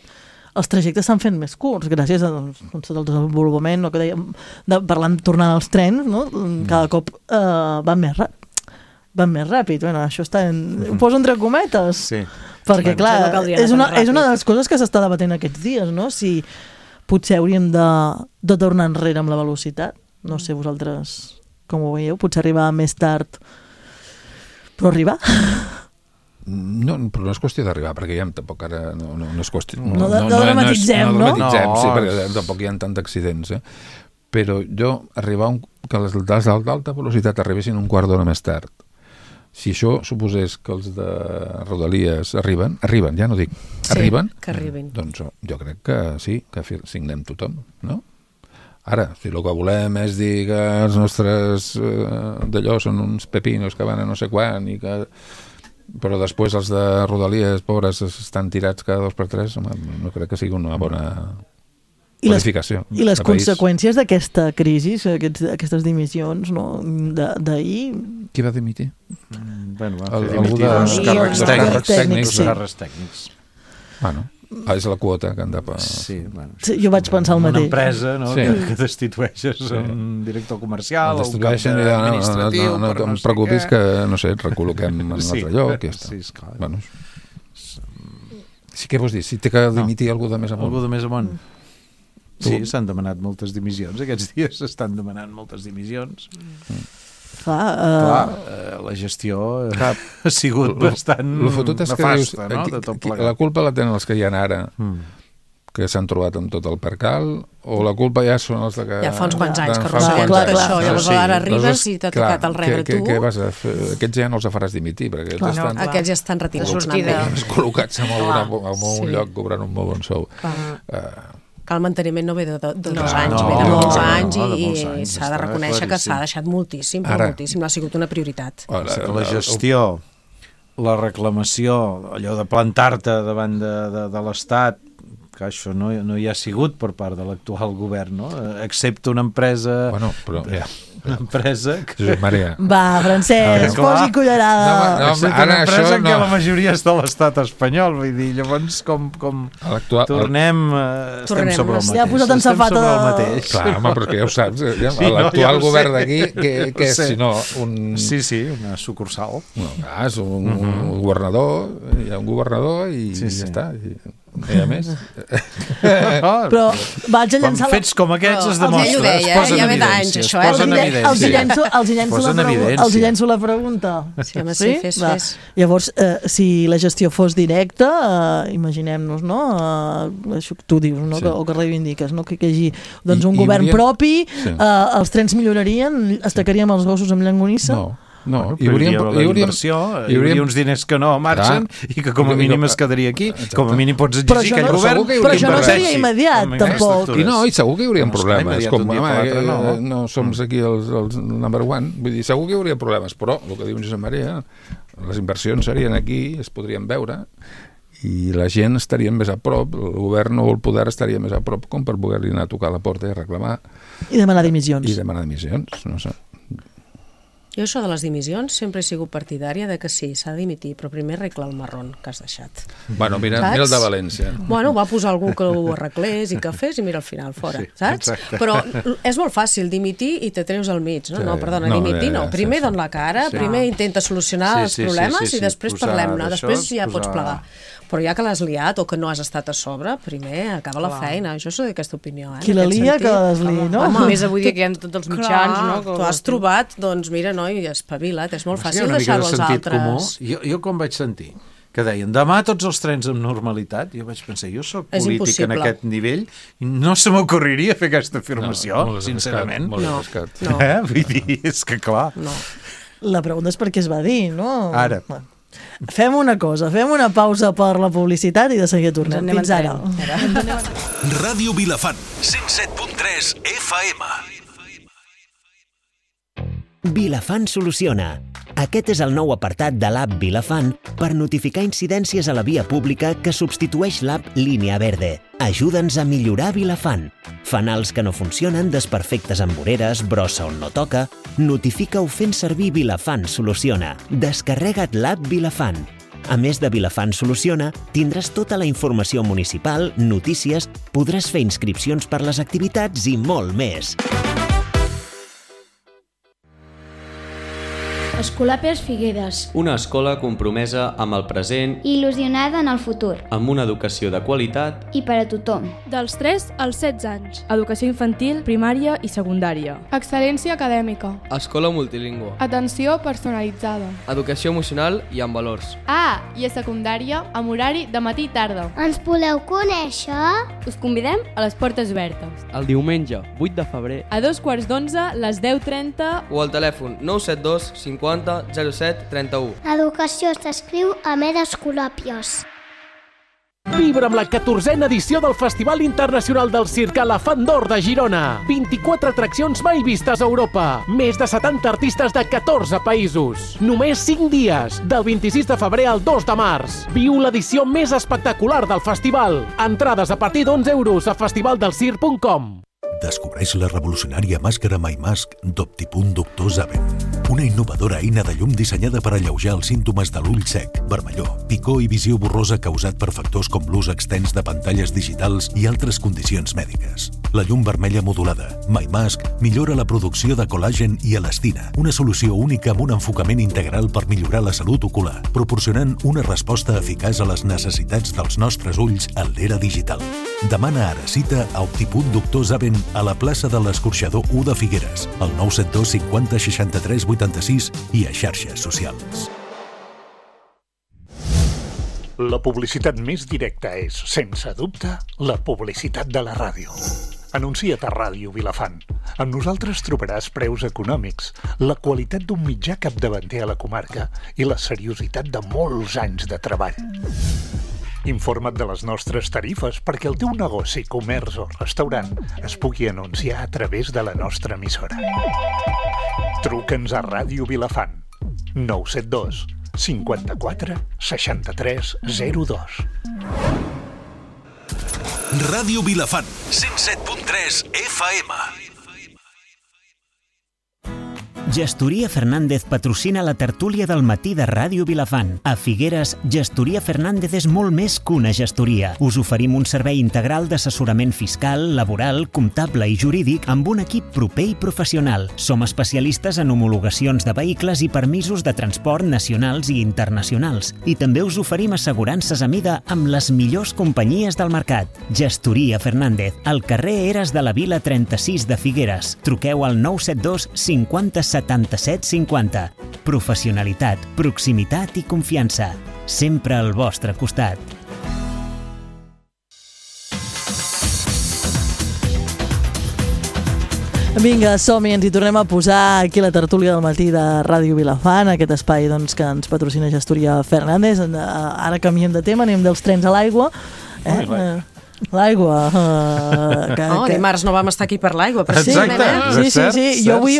Els trajectes s'han fet més curts, gràcies a tot el desenvolupament, que dèiem, tornant als trens, no? Cada cop van més ràpid. Bueno, això ho poso entre cometes. Sí. Perquè, clar, és una de les coses que s'està debatent aquests dies, no? Si potser hauríem de tornar enrere amb la velocitat. No sé vosaltres com ho veieu. Potser arribar més tard, però arribar. No, però no és qüestió d'arribar, perquè ja tampoc ara no és qüestió... No dramatitzem, no? No, sí, perquè tampoc hi ha tant d'accidents, Però arribar que les d'alta velocitat arribessin un quart d'hora més tard. Si això suposés que els de Rodalies arriben, ja no dic, arriben, que arribin. Doncs jo crec que sí, que signem tothom, no? Ara, si el que volem és dir que els nostres d'allò són uns pepinos que van a no sé quan i que... Però després els de Rodalies, pobres, estan tirats cada 2 per 3, no crec que sigui una bona... I les conseqüències d'aquesta crisi, aquestes dimissions, no, d'ahir... Qui va dimitir? Bueno, va fer dimitir els càrrecs tècnics. Bueno. És la quota que han de pagar. Sí, bueno, Sí, jo vaig pensar el una mateix. empresa, no? Sí. que destitueixes un director comercial o un cap Destitueixen i administratiu. no per em sé preocupis què. que, no sé, et recol·loquem en un altre lloc. Ja està. Sí, esclar. Bueno, sí, què vols dir? Si té que dimitir algú de més amunt? Algú de més amunt. Tu- Sí, s'han demanat moltes dimissions. Aquests dies s'estan demanant moltes dimissions. Clar, La gestió ha sigut bastant El fotut és que dius, nefasta, no? De tot plegat. la culpa la tenen els que hi ha ara, que s'han trobat amb tot el percal, o la culpa ja són els de que... Ja fa uns quants anys que fa arrosseguem uns tot quants això, anys. llavors ara arribes i t'ha clar, tocat el rebre tu. Què vas a fer? Aquests ja no els faràs dimitir, perquè Clar. estan Aquests ja estan retinguts. col·locats en un Sí. lloc cobrant un molt bon sou. Que el manteniment no ve de 2 anys, no, ve de molts no, anys no, de i molts anys, s'ha de està reconèixer que claríssim. s'ha deixat moltíssim, però Ara- moltíssim, no ha sigut una prioritat. La gestió, la reclamació, allò de plantar-te davant de l'Estat, que això no hi ha sigut per part de l'actual govern, no? Excepte una empresa... Bueno, però ja. Una empresa que... Josep Maria. Va, Francesc, Clar. posi cullerada. No, Excepte ara una empresa això en què no. la majoria és de l'estat espanyol, vull dir, llavors com L'actual... tornem, estem sobre el mateix. Ja ha posat en Estem safata sobre el de- mateix. Clar, home, perquè ja ho saps. Sí, no, L'actual ja ho sé. govern d'aquí, què és, sé. si no un... Sí, una sucursal. No, clar, és un governador, hi ha un governador i Sí, ja sí. està. I a més... Però vaig a Quan llançar fets com aquests es Però demostra, ell ho deia, es posen ja ve en d'anys, evidència, això, es posen en els evidència. els hi llenço la pregunta. Sí, home, sí, fes. Llavors, si la gestió fos directa, imaginem-nos, no? Això que tu dius, no? Sí. O que reivindiques, no? Que hi hagi doncs, un I govern hauríem- propi, Sí. Els trens millorarien, estacaríem els gossos amb llonganissa. No, Hi hauria uns diners que no marxen i que com a mínim es quedaria aquí. Com a mínim pots Però exigir això aquell no- govern. segur que hi Però hauria això no inversions. seria immediat, tampoc. I segur que hi haurien No, esclar, problemes. immediat, Com, un dia home, per l'altre, no som aquí els number one. Vull dir, segur que hi hauria problemes, però el que diu Josep Maria, les inversions serien aquí, es podrien veure, i la gent estaria més a prop, el govern o el poder estaria més a prop com per poder-li anar a tocar la porta i reclamar I demanar dimissions. i demanar dimissions, no sé. Jo això de les dimissions sempre he sigut partidària de que sí, s'ha de dimitir, però primer arregla el marrón que has deixat. Bueno, mira Saps? el de València. Bueno, va posar algú que ho arreglés i que fes i mira al final, fora, Sí, saps? exacte. Però és molt fàcil dimitir i te treus al mig, no? Sí. No, perdona, No, dimitir no. sí, Primer sí. don la cara, Sí. primer intenta solucionar els problemes i després posar parlem-ne, d'això, després ja pots posar- plegar. Però ja que l'has liat o que no has estat a sobre, primer acaba la feina. Jo soc d'aquesta opinió, Qui en la aquest lia, sentit. que desliï, no? Home, més avui dia que hi ha tots els mitjans, no? Clar, tu has trobat, doncs mira, noi, espavila't, és molt Sí, fàcil una mica de deixar-ho als sentit altres. comú. Jo quan vaig sentir que deien demà tots els trens amb normalitat, jo vaig pensar, jo sóc És polític en impossible. aquest nivell i no se m'ocorreria fer aquesta afirmació, molt sincerament. Molt No. arriscat. No. Vull dir, és que clar. No. La pregunta és per què es va dir, no? Ara. Bueno. Fem una cosa, fem una pausa per la publicitat i de seguida tornem. Ens anem Fins en ara. tren. Ràdio Vilafant, 107.3 FM. Vilafant soluciona. Aquest és el nou apartat de l'app Vilafant per notificar incidències a la via pública que substitueix l'app Línia Verde. Ajuda'ns a millorar Vilafant. Fanals que no funcionen, desperfectes amb voreres, brossa on no toca... Notifica-ho fent servir Vilafant Soluciona. Descarrega't l'app Vilafant. A més de Vilafant Soluciona, tindràs tota la informació municipal, notícies, podràs fer inscripcions per les activitats i molt més. Escolapes Figueres. Una escola compromesa amb el present, Il·lusionada en el futur. amb una educació de qualitat. I per a tothom. Dels 3 als 16 anys. Educació infantil, primària i secundària. Excel·lència acadèmica. Escola multilingüe. Atenció personalitzada. Educació emocional i amb valors. Ah, i a secundària, amb horari de matí i tarda. Ens voleu conèixer? Us convidem a les portes obertes. El diumenge, 8 de febrer. A 2:15, les 10:30... O al telèfon 972 50 07 31. Educació s'escriu amb Escolàpios. Vibra amb la 14a edició del Festival Internacional del Circ Elefant d'Or de Girona. 24 atraccions mai vistes a Europa. Més de 70 artistes de 14 països. Només 5 dies, del 26 de febrer al 2 de març. Viu l'edició més espectacular del festival. Entrades a partir d'11 € a festivaldelcirc.com. Descobreix la revolucionària màscara MyMask d'Optipunt Doctor Zaven. Una innovadora eina de llum dissenyada per alleujar els símptomes de l'ull sec, vermellor, picor i visió borrosa causat per factors com l'ús extens de pantalles digitals i altres condicions mèdiques. La llum vermella modulada, MyMask, millora la producció de col·làgen i elastina, una solució única amb un enfocament integral per millorar la salut ocular, proporcionant una resposta eficaç a les necessitats dels nostres ulls en l'era digital. Demana ara cita a Optipunt Doctor Zaven a la plaça de l'Escorxador 1 de Figueres, al 972 50 63 86 i a xarxes socials. La publicitat més directa és, sense dubte, la publicitat de la ràdio. Anuncia't a Ràdio Vilafant. Amb nosaltres trobaràs preus econòmics, la qualitat d'un mitjà capdavanter a la comarca i la seriositat de molts anys de treball. Informa't de les nostres tarifes perquè el teu negoci, comerç o restaurant es pugui anunciar a través de la nostra emissora. Truca'ns a Ràdio Vilafant. 972 54 63 02. Ràdio Vilafant, 107.3 FM. Gestoria Fernández patrocina la tertúlia del matí de Ràdio Vilafant. A Figueres, Gestoria Fernández és molt més que una gestoria. Us oferim un servei integral d'assessorament fiscal, laboral, comptable i jurídic amb un equip proper i professional. Som especialistes en homologacions de vehicles i permisos de transport nacionals i internacionals. I també us oferim assegurances a mida amb les millors companyies del mercat. Gestoria Fernández, al carrer Eres de la Vila 36 de Figueres. Truqueu al 972 50 77 50. Professionalitat, proximitat i confiança. Sempre al vostre costat. Vinga, som-hi, ens hi tornem a posar aquí a la tertúlia del matí de Ràdio Vilafant, aquest espai doncs, que ens patrocina Gestoria Fernández. Ara canviem de tema, anem dels trens a l'aigua. L'aigua. Dimarts no vam estar aquí per l'aigua. Sí. Jo ahir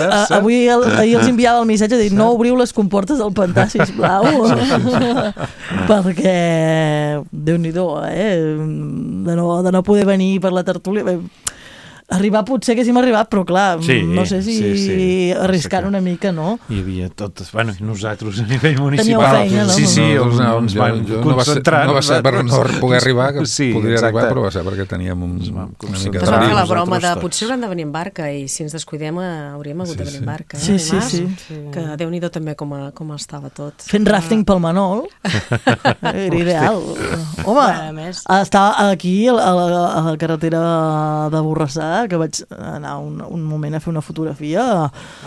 els enviava el missatge de dir no obriu les comportes del pantà, sisplau. Perquè, Déu-n'hi-do, de no poder venir per la tertúlia. Arribar potser haguéssim arribat, però clar, no sé si arriscant una mica, no? Hi havia tot, bueno, nosaltres a nivell municipal. Teníeu feina, no? Sí, ens vam concentrar. No va ser per no poder arribar, que podria arribar, però va ser perquè teníem una mica de riu. La broma de potser haurem de venir en barca i si ens descuidem hauríem hagut de venir en barca. Sí. Que Déu-n'hi-do també com estava tot. Fent rafting pel Manol era ideal. Home, estava aquí a la carretera de Borrassà, que vaig anar un moment a fer una fotografia.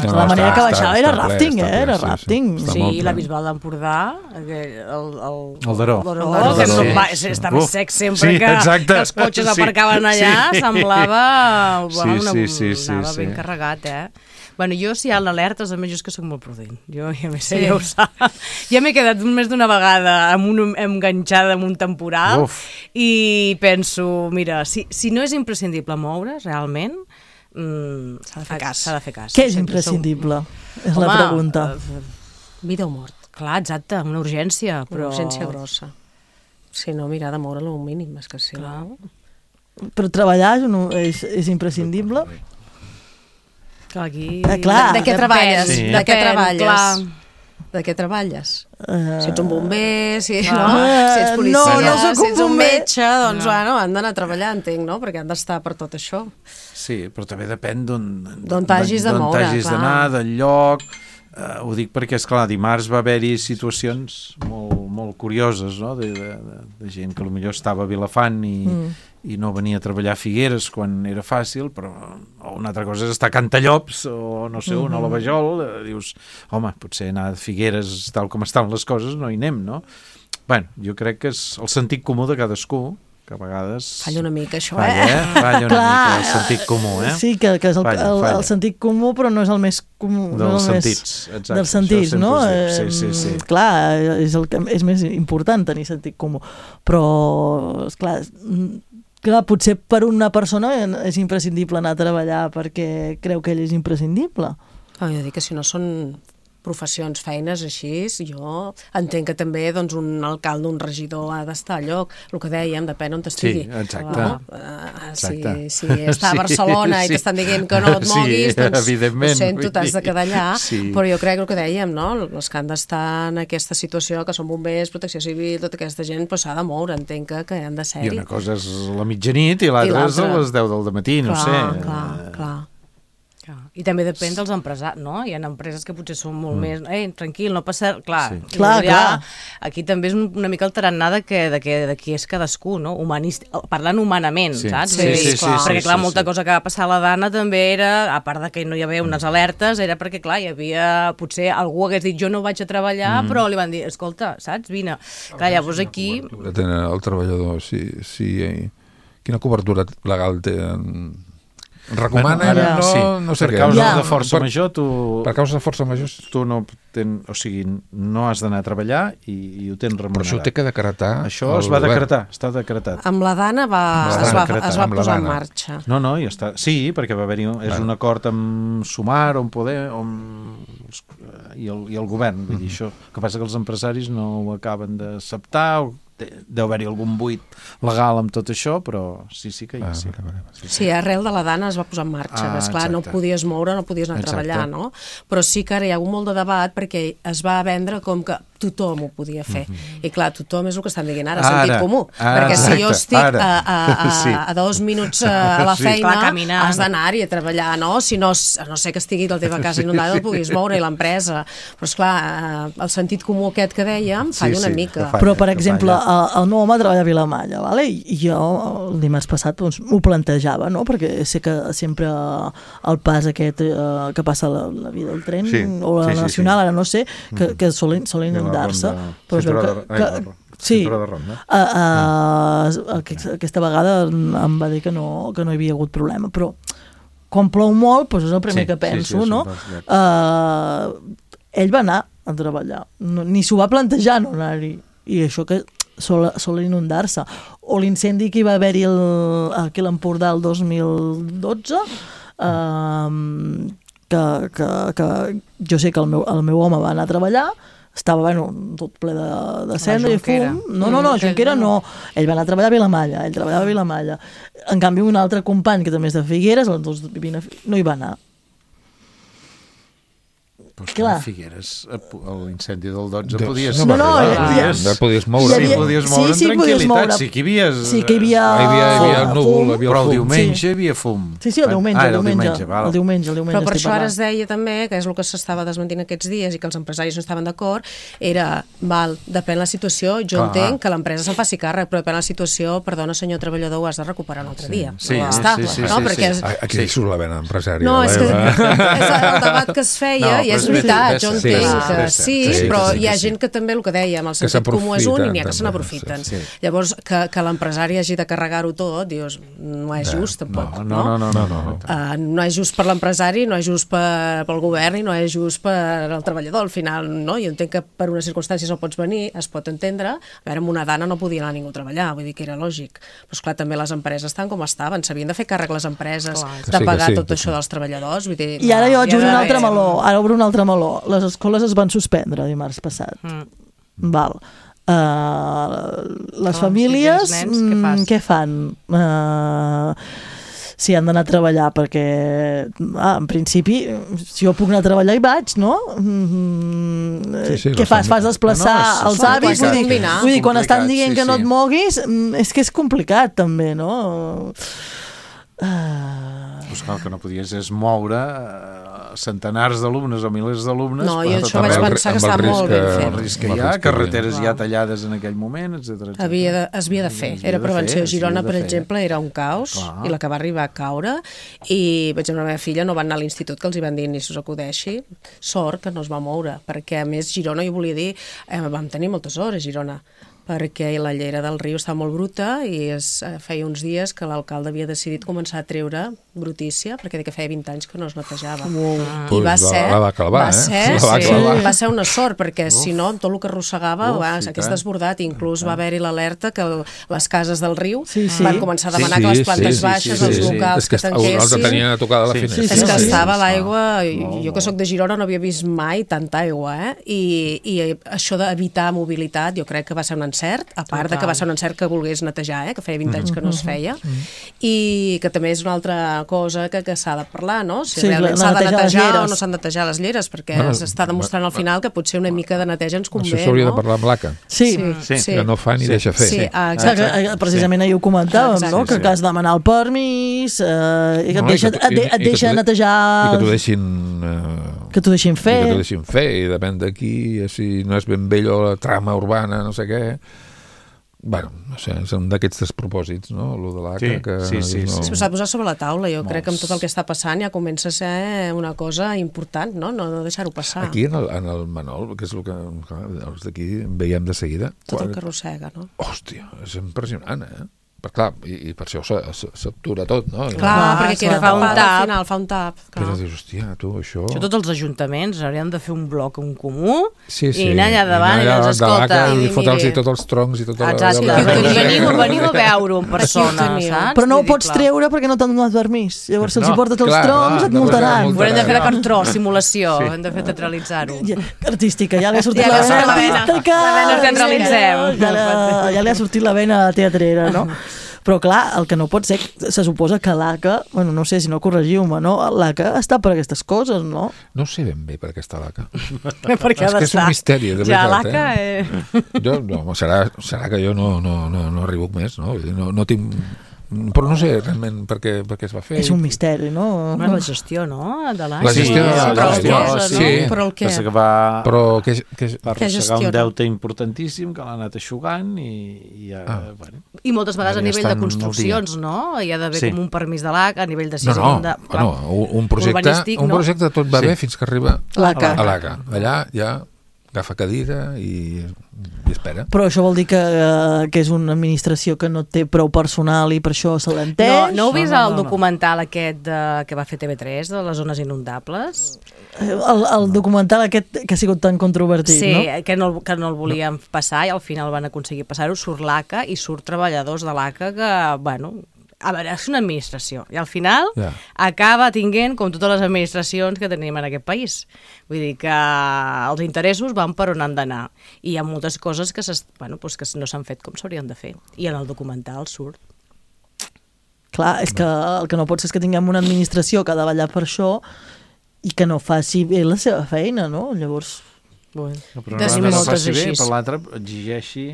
La manera que baixava era rafting, era rafting. Sí, i la Bisbal d'Empordà, el Daró, que estava sec sempre que els cotxes aparcaven allà, semblava anava ben carregat, Bueno, jo si hi ha l'alerta, a més, jo és que soc molt prudent. Jo, ja m'he ja ho sap. Ja m'he quedat més d'una vegada enganxada amb un temporal i penso, mira, si no és imprescindible moure's, realment, s'ha de fer cas. Què és imprescindible? És la pregunta. Vida o mort. Clar, exacte, una urgència. Una urgència grossa. Si no, mirar de moure-lo un mínim, és que sí. Però treballar és imprescindible? Aquí... De què treballes? De què treballes? Si ets un bomber, si ets policia, si ets un metge, doncs han d'anar a treballar, entenc, no? Perquè han d'estar per tot això. Sí, però també depèn d'on t'hagis de moure, d'on t'hagis d'anar, del lloc. Ho dic perquè, esclar, dimarts va haver-hi situacions molt curioses, no? De gent que potser estava a Vilafant i no venia a treballar a Figueres quan era fàcil, però una altra cosa és estar a Cantallops o no sé on, a la Vajol, dius, home, potser anar a Figueres tal com estan les coses no hi anem, no? Bueno, jo crec que és el sentit comú de cadascú, que a vegades... Falla una mica, això, Falla una mica el sentit comú, Sí, que és el sentit comú, però no és el més comú. Dels sentits, exacte. Dels sentits, no? Sí. Clar, és més important tenir sentit comú. Però, esclar, potser per una persona és imprescindible anar a treballar perquè creu que ell és imprescindible. Jo dic que si no són professions, feines així, jo entenc que també doncs, un alcalde, un regidor ha d'estar al lloc, el que dèiem, depèn on estigui. Sí, exacte. Si està a Barcelona i t'estan dient que no et moguis, doncs ho sento, t'has de quedar allà, però jo crec que el que dèiem, no? Els que han d'estar en aquesta situació, que són bombers, protecció civil, tota aquesta gent s'ha de moure, entenc que han de ser-hi. I una cosa és la mitjanit i l'altra és a les 10 del matí, no sé. Clar. I també depèn dels empresaris, no? Hi ha empreses que potser són molt més... tranquil, no passa... Clar. Aquí també és una mica el tarannà de qui és cadascú, no? Parlant humanament, saps? Perquè, clar, molta cosa que va passar a la Dana també era, a part de que no hi havia unes alertes, era perquè, clar, hi havia... Potser algú hagués dit, jo no vaig a treballar, però li van dir, escolta, saps? Vine. Clar, llavors aquí... Tenen el treballador, quina cobertura legal té... Recomanen, no sé què. Per causa de força major, per causa de força major, tu no has d'anar a treballar i ho tens remunerat. Però això ho té que decretar. Això es va decretar, està decretat. Amb la Dana es va posar en marxa. No, ja està. Sí, perquè va haver-hi un acord amb Sumar, on Poder, i el govern. Vull dir, això. El que passa que els empresaris no ho acaben d'acceptar, deu haver-hi algun buit legal amb tot això, però sí que hi ha. Sí, arrel de la Dana es va posar en marxa. Esclar, no podies moure, no podies anar a treballar, no? Però sí que ara hi ha hagut molt de debat perquè es va vendre com que tothom ho podia fer. I clar, tothom és el que estan dient ara, sentit comú. Perquè si jo estic a 2 minuts a la feina, has d'anar-hi a treballar, no? Si no, a no ser que estigui la teva casa inundada, no puguis moure, i l'empresa. Però esclar, el sentit comú aquest que dèiem falla una mica. Però, per exemple, el meu home treballa a Vilamalla, i jo el dimarts passat ho plantejava, no? Perquè sé que sempre el pas aquest que passa la via del tren o la nacional, ara no sé, que solen inundar-se, però es veu que aquesta vegada em va dir que no hi havia hagut problema, però quan plou molt, és el primer que penso, no? Ell va anar a treballar, ni s'ho va plantejar no anar-hi, i això que sol inundar-se. O l'incendi que hi va haver-hi aquí a l'Empordà el 2012, que jo sé que el meu home va anar a treballar, estava tot ple de cendra i fum. No, Junquera no. Ell va anar a treballar a Vilamalla, ell treballava a Vilamalla. En canvi, un altre company, que també és de Figueres, no hi va anar. Però clar, a Figueres, l'incendi del 12 podies... podies moure. Sí, podies moure amb tranquil·litat. Sí que hi havia el núvol, però el diumenge hi havia fum. Sí, el diumenge. El diumenge. Però per això ara es deia també, que és el que s'estava desmentint aquests dies i que els empresaris no estaven d'acord, era, depèn la situació, jo entenc que l'empresa se'n faci càrrec, però depèn la situació, perdona senyor treballador, ho has de recuperar un altre dia. Sí. Aquí surt la vena empresària. No, és el debat que es feia i és veritat, jo entenc que sí, però hi ha gent que també, el que dèiem, el sentit comú és un i n'hi ha que se n'aprofiten. Llavors, que l'empresari hagi de carregar-ho tot, dius, no és just, tampoc. No. No és just per l'empresari, no és just pel govern i no és just per al treballador. Al final, no? Jo entenc que per unes circumstàncies no pots venir, es pot entendre. A veure, amb una Dana no podia anar ningú a treballar, vull dir que era lògic. Però, esclar, també les empreses estan com estaven, s'havien de fer càrrec les empreses de pagar tot això dels treballadors. I ara jo obro un altre meló, les escoles es van suspendre dimarts passat. Val. Les famílies, què fan? Si han d'anar a treballar, perquè en principi, si jo puc anar a treballar hi vaig, no? Què fas? Fas desplaçar els avis? Vull dir, quan estan dient que no et moguis, és que és complicat també, no? El que no podies és moure centenars d'alumnes o milers d'alumnes. No, i això vaig pensar que estava molt ben fet. El risc que hi ha, carreteres ja tallades en aquell moment, etc. Es havia de fer. Era prevenció. Girona, per exemple, era un caos i la que va arribar a caure, i per exemple la meva filla no va anar a l'institut, que els hi van dir ni s'us acudeixi. Sort que no es va moure, perquè a més Girona, jo volia dir, vam tenir moltes hores a Girona, perquè la llera del riu està molt bruta i feia uns dies que l'alcalde havia decidit començar a treure brutícia, perquè que feia 20 anys que no es netejava. I va ser una sort, perquè si no, tot el que arrossegava s'hagués desbordat. Inclús va haver-hi l'alerta que les cases del riu van començar a demanar que les plantes baixes, els locals que tanquessin. Els tenien a tocar de la finestra. És que estava l'aigua, jo que soc de Girona no havia vist mai tanta aigua, i això d'evitar mobilitat jo crec que va ser un encert, a part de que va ser un encert que volgués netejar, que feia 20 anys que no es feia, i que també és una altra cosa que s'ha de parlar, no? Si realment s'ha de netejar o no s'han de netejar les lleres, perquè s'està demostrant al final que potser una mica de neteja ens convé, no? Això s'hauria de parlar amb l'ACA. Sí. Que no fa ni deixa fer. Precisament ahir ho comentàvem, no? Que has de demanar el permís, i que et deixa netejar... I que t'ho deixin... Que t'ho deixin fer. I que t'ho deixin fer, i depèn d'aquí, si no és ben vell o la trama urbana, no sé què. Bueno, no sé, és un d'aquests despropòsits, no?, el de l'ACA. Sí. S'ha de posar sobre la taula. Jo crec que amb tot el que està passant ja comença a ser una cosa important, no deixar-ho passar. Aquí, en el Manol, que és el que els d'aquí veiem de seguida... Tot el que arrossega, no? Hòstia, és impressionant, Però clar, i per això s'atura tot, no? Clar, perquè fa un tap. Però dius, hòstia, tu, això... Tots els ajuntaments haurien de fer un bloc en comú i anar allà davant i doncs, escolta... I fotre'ls tots els troncs i tot... Veniu a veure-ho en persona, saps? Però no ho pots treure perquè no t'han donat permís. Llavors, si els hi portes els troncs, et multaran. Ho hem de fer de cartró, simulació, hem de fer teatralitzar-ho. Artística, ja li ha sortit la vena artística. Ja li ha sortit la vena teatrera, no? Però clar, el que no pot ser, se suposa que l'ACA, bueno, no sé si no corregiu-me, no? L'ACA està per aquestes coses, no? No sé ben bé per què està l'ACA. Perquè és que és un misteri, de veritat. Ja, l'ACA... Serà que jo no arribo més, no? No tinc... Però no sé realment per què es va fer. És un misteri, no? La gestió, no? De l'ACA. La gestió de l'ACA, sí. Però el què? Va arrossegar un deute importantíssim que l'ha anat eixugant i ja... I moltes vegades a nivell de construccions, no? Hi ha d'haver com un permís de l'ACA, a nivell de decisió... No, un projecte tot va bé fins que arriba a l'ACA. Allà ja agafa cadira i espera. Però això vol dir que és una administració que no té prou personal i per això se l'entén? No heu vist el documental aquest que va fer TV3 de les zones inundables? El documental aquest que ha sigut tan controvertit, no? Sí, que no el volien passar i al final van aconseguir passar-ho. Surt l'ACA i surt treballadors de l'ACA que, bueno... A veure, és una administració i al final acaba tinguent com totes les administracions que tenim en aquest país. Vull dir que els interessos van per on han d'anar i hi ha moltes coses que no s'han fet com s'haurien de fer i en el documental surt. Clar, és que el que no pot ser és que tinguem una administració que ha de vetllar per això i que no faci bé la seva feina, no? Llavors... Però no faci bé, per l'altre exigeixi...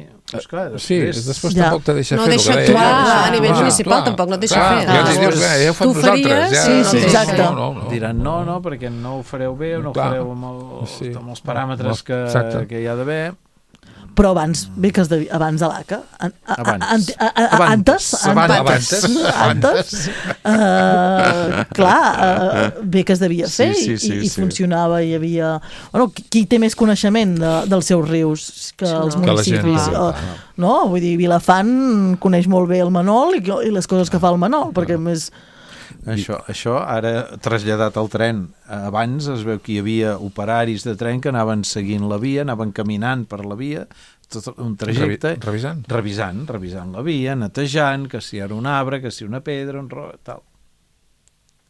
Sí, després tampoc te deixa fer. No deixa actuar a nivell municipal, tampoc no et deixa fer. Ja els dius, ja ho fem nosaltres. Sí, exacte. Diran no, perquè no ho fareu bé o no ho fareu amb els paràmetres que hi ha d'haver. Però abans, bé que abans de l'ACA, bé que es devia fer i funcionava, hi havia... Bueno, qui té més coneixement dels seus rius que els municipis? No? Vull dir, Vilafant coneix molt bé el Manol i les coses que fa el Manol, perquè més... Això ara traslladat al tren. Abans es veu que hi havia operaris de tren que anaven seguint la via, anaven caminant per la via, tot un trajecte... Revisant la via, netejant, que si era un arbre, que si una pedra, tal.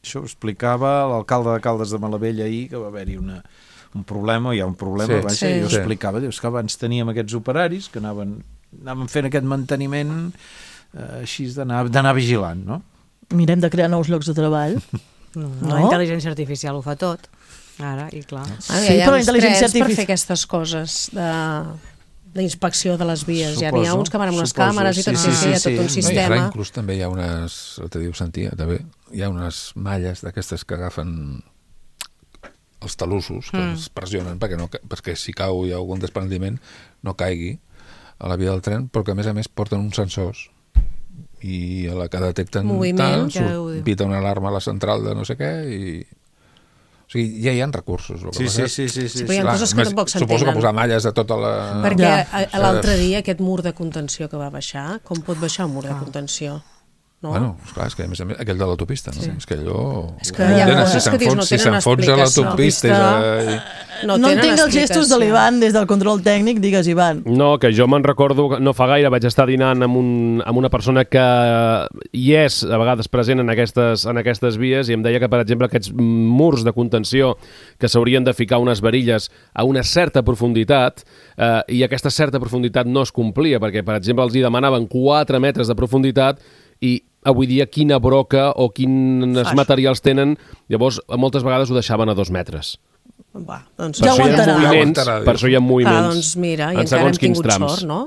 Això ho explicava l'alcalde de Caldes de Malavella ahir, que va haver-hi un problema, hi ha un problema, i ho explicava, dius que abans teníem aquests operaris que anaven fent aquest manteniment així d'anar vigilant, no? Mirem de crear nous llocs de treball. La intel·ligència artificial ho fa tot. Ara, i clar. Sí, però la intel·ligència artificial... per fer aquestes coses d'inspecció de les vies. Ja n'hi ha uns que van amb unes càmeres i tot un sistema. Inclús també hi ha unes, te diu Santia, també hi ha unes malles d'aquestes que agafen els talussos, que es pressionen perquè si cau hi ha algun desprendiment no caigui a la via del tren, però que a més porten uns sensors i a la que detecten tal, pita una alarma a la central de no sé què i... O O sigui, ja hi ha recursos. Sí. Però hi ha coses que tampoc s'entenen. Suposo que posar malles a tota la... Perquè l'altre dia aquest mur de contenció que va baixar, com pot baixar un mur de contenció? No? Bueno, esclar, és que a més aquell de l'autopista, no? És que allò... És que hi ha coses que dius no tenen explicació. L'autopista... No entenc els gestos de l'Ivan des del control tècnic, digues, Ivan. No, que jo me'n recordo, no fa gaire vaig estar dinant amb una persona que hi és a vegades present en aquestes vies i em deia que, per exemple, aquests murs de contenció que s'haurien de ficar unes varilles a una certa profunditat i aquesta certa profunditat no es complia, perquè, per exemple, els hi demanaven 4 metres de profunditat i avui dia quina broca o quins materials tenen, llavors moltes vegades ho deixaven a 2 metres. Va, doncs ja aguantarà. Per això hi ha moviments doncs mira, en segons quins trams. Sort, no?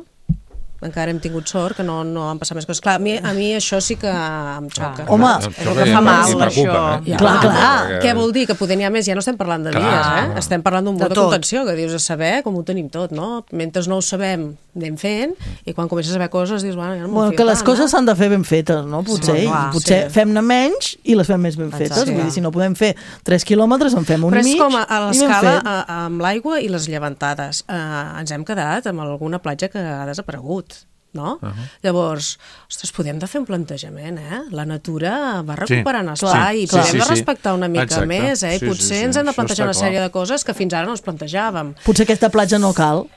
Encara hem tingut sort, que no han passat més coses. Clar, a mi això sí que em xoca. Home, és el que fa mal, això. Clar. Què vol dir? Que poder n'hi ha més? Ja no estem parlant de vies, Estem parlant d'un mur de contenció, que dius a saber com ho tenim tot, no? Mentre no ho sabem, anem fent, i quan comences a saber coses dius, bueno, ja no m'ho fio tant. Que les coses s'han de fer ben fetes, no? Potser fem-ne menys i les fem més ben fetes. Vull dir, si no podem fer 3 quilòmetres, en fem un i mig. Però és com a l'escala amb l'aigua i les llevantades. Ens hem quedat amb alguna platja que ha desaparegut. No? Llavors, ostres, podem de fer un plantejament, La natura va recuperant espai i podem de respectar una mica més, i potser ens hem de plantejar una sèrie de coses que fins ara no ens plantejàvem. Potser aquesta platja no cal.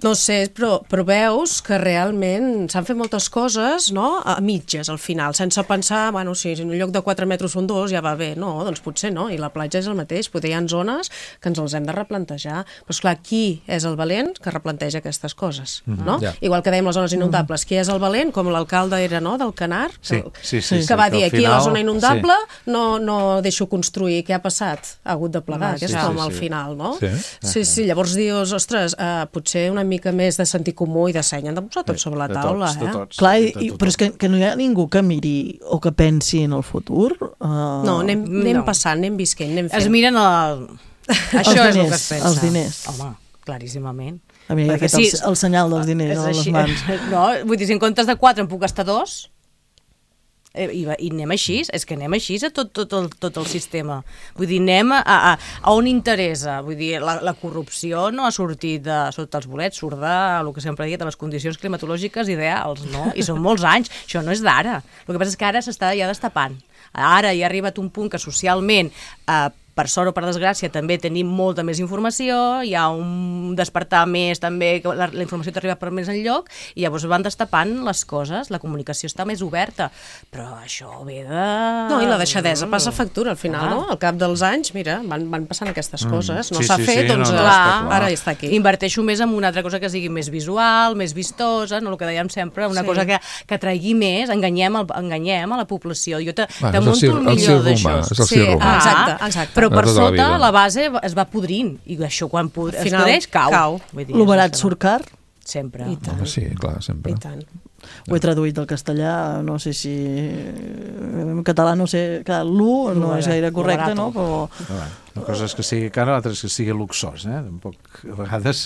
No sé, però veus que realment s'han fet moltes coses, no?, a mitges, al final, sense pensar, bueno, si en lloc de 4 metres són 2, ja va bé. No, doncs potser no, i la platja és el mateix. Potser hi ha zones que ens els hem de replantejar. Però, esclar, qui és el valent que replanteja aquestes coses, no? Igual que dèiem les zones inundables. Qui és el valent? Com l'alcalde era, no?, del Canar, que va dir, aquí a la zona inundable no deixo construir. Què ha passat? Ha hagut de plegar aquest home al final, no? Sí, llavors dius, ostres, potser una mica més de sentit comú i de seny han de posar tot sobre la taula, Clar, però és que no hi ha ningú que miri o que pensi en el futur. No, anem passant, anem visquent, anem fent. Es miren això és el que es pensa. Els diners. Home, claríssimament. A mi ha fet el senyal dels diners a les mans. No, vull dir, si en comptes de 4 em puc gastar 2... I anem així, és que anem així a tot el sistema. Vull dir, anem a on interessa. Vull dir, la corrupció no ha sortit sota els bolets, surt el que sempre he dit, de les condicions climatològiques ideals, no? I són molts anys, això no és d'ara. El que passa és que ara s'està ja destapant. Ara ja ha arribat un punt que socialment per sort o per desgràcia també tenim molta més informació, hi ha un despertar més també, que la informació t'arriba per més enlloc i llavors van destapant les coses, la comunicació està més oberta, però això ve de... No, i la deixadesa passa factura al final, no? Al cap dels anys, mira, van passant aquestes coses, no s'ha fet, doncs ara està aquí. Inverteixo més en una altra cosa que sigui més visual, més vistosa, no el que dèiem sempre, una cosa que atraigui més, enganyem a la població. Jo te munto el millor d'això. Exacte. Però per sota la base es va podrint i això quan es podreix cau. L'oberat surt car? Sempre. Home, sí, clar, sempre. I tant. Ho he traduït al castellà, no sé si... En català no sé... Clar, l'U no és gaire correcte, no? Però... Una cosa és que sigui cara, l'altra és que sigui luxós, Tampoc, a vegades,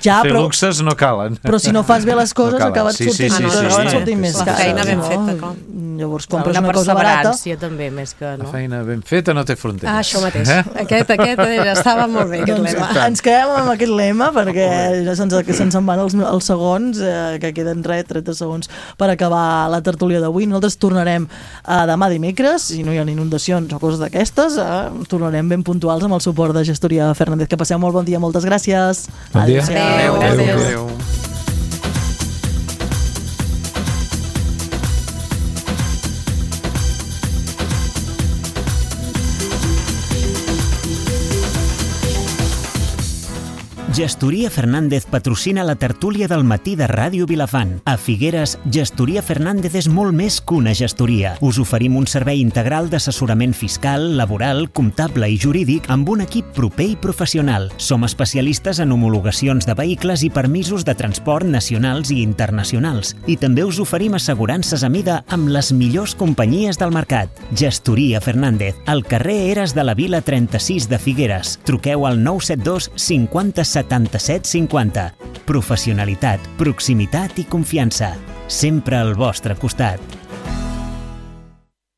fer luxes no calen. Però si no fas bé les coses, acabes sortint més cara. Feina ben feta, clar. Llavors compres una cosa barata. També, més que... La feina ben feta no té fronteres. Això mateix. Aquest estava molt bé, aquest lema. Ens quedem amb aquest lema, perquè se'ns en van els segons, que queden 30 segons per acabar la tertúlia d'avui. Nosaltres tornarem demà dimecres, si no hi ha inundacions o coses d'aquestes, tornarem ben puntuals amb el suport de Gestoria Fernández. Que passeu molt bon dia, moltes gràcies. Bon dia. Adéu. Gestoria Fernández patrocina la tertúlia del matí de Ràdio Vilafant. A Figueres, Gestoria Fernández és molt més que una gestoria. Us oferim un servei integral d'assessorament fiscal, laboral, comptable i jurídic amb un equip proper i professional. Som especialistes en homologacions de vehicles i permisos de transport nacionals i internacionals. I també us oferim assegurances a mida amb les millors companyies del mercat. Gestoria Fernández, al carrer Eres de la Vila 36 de Figueres. Truqueu al 972 50 77 50. Professionalitat, proximitat i confiança. Sempre al vostre costat.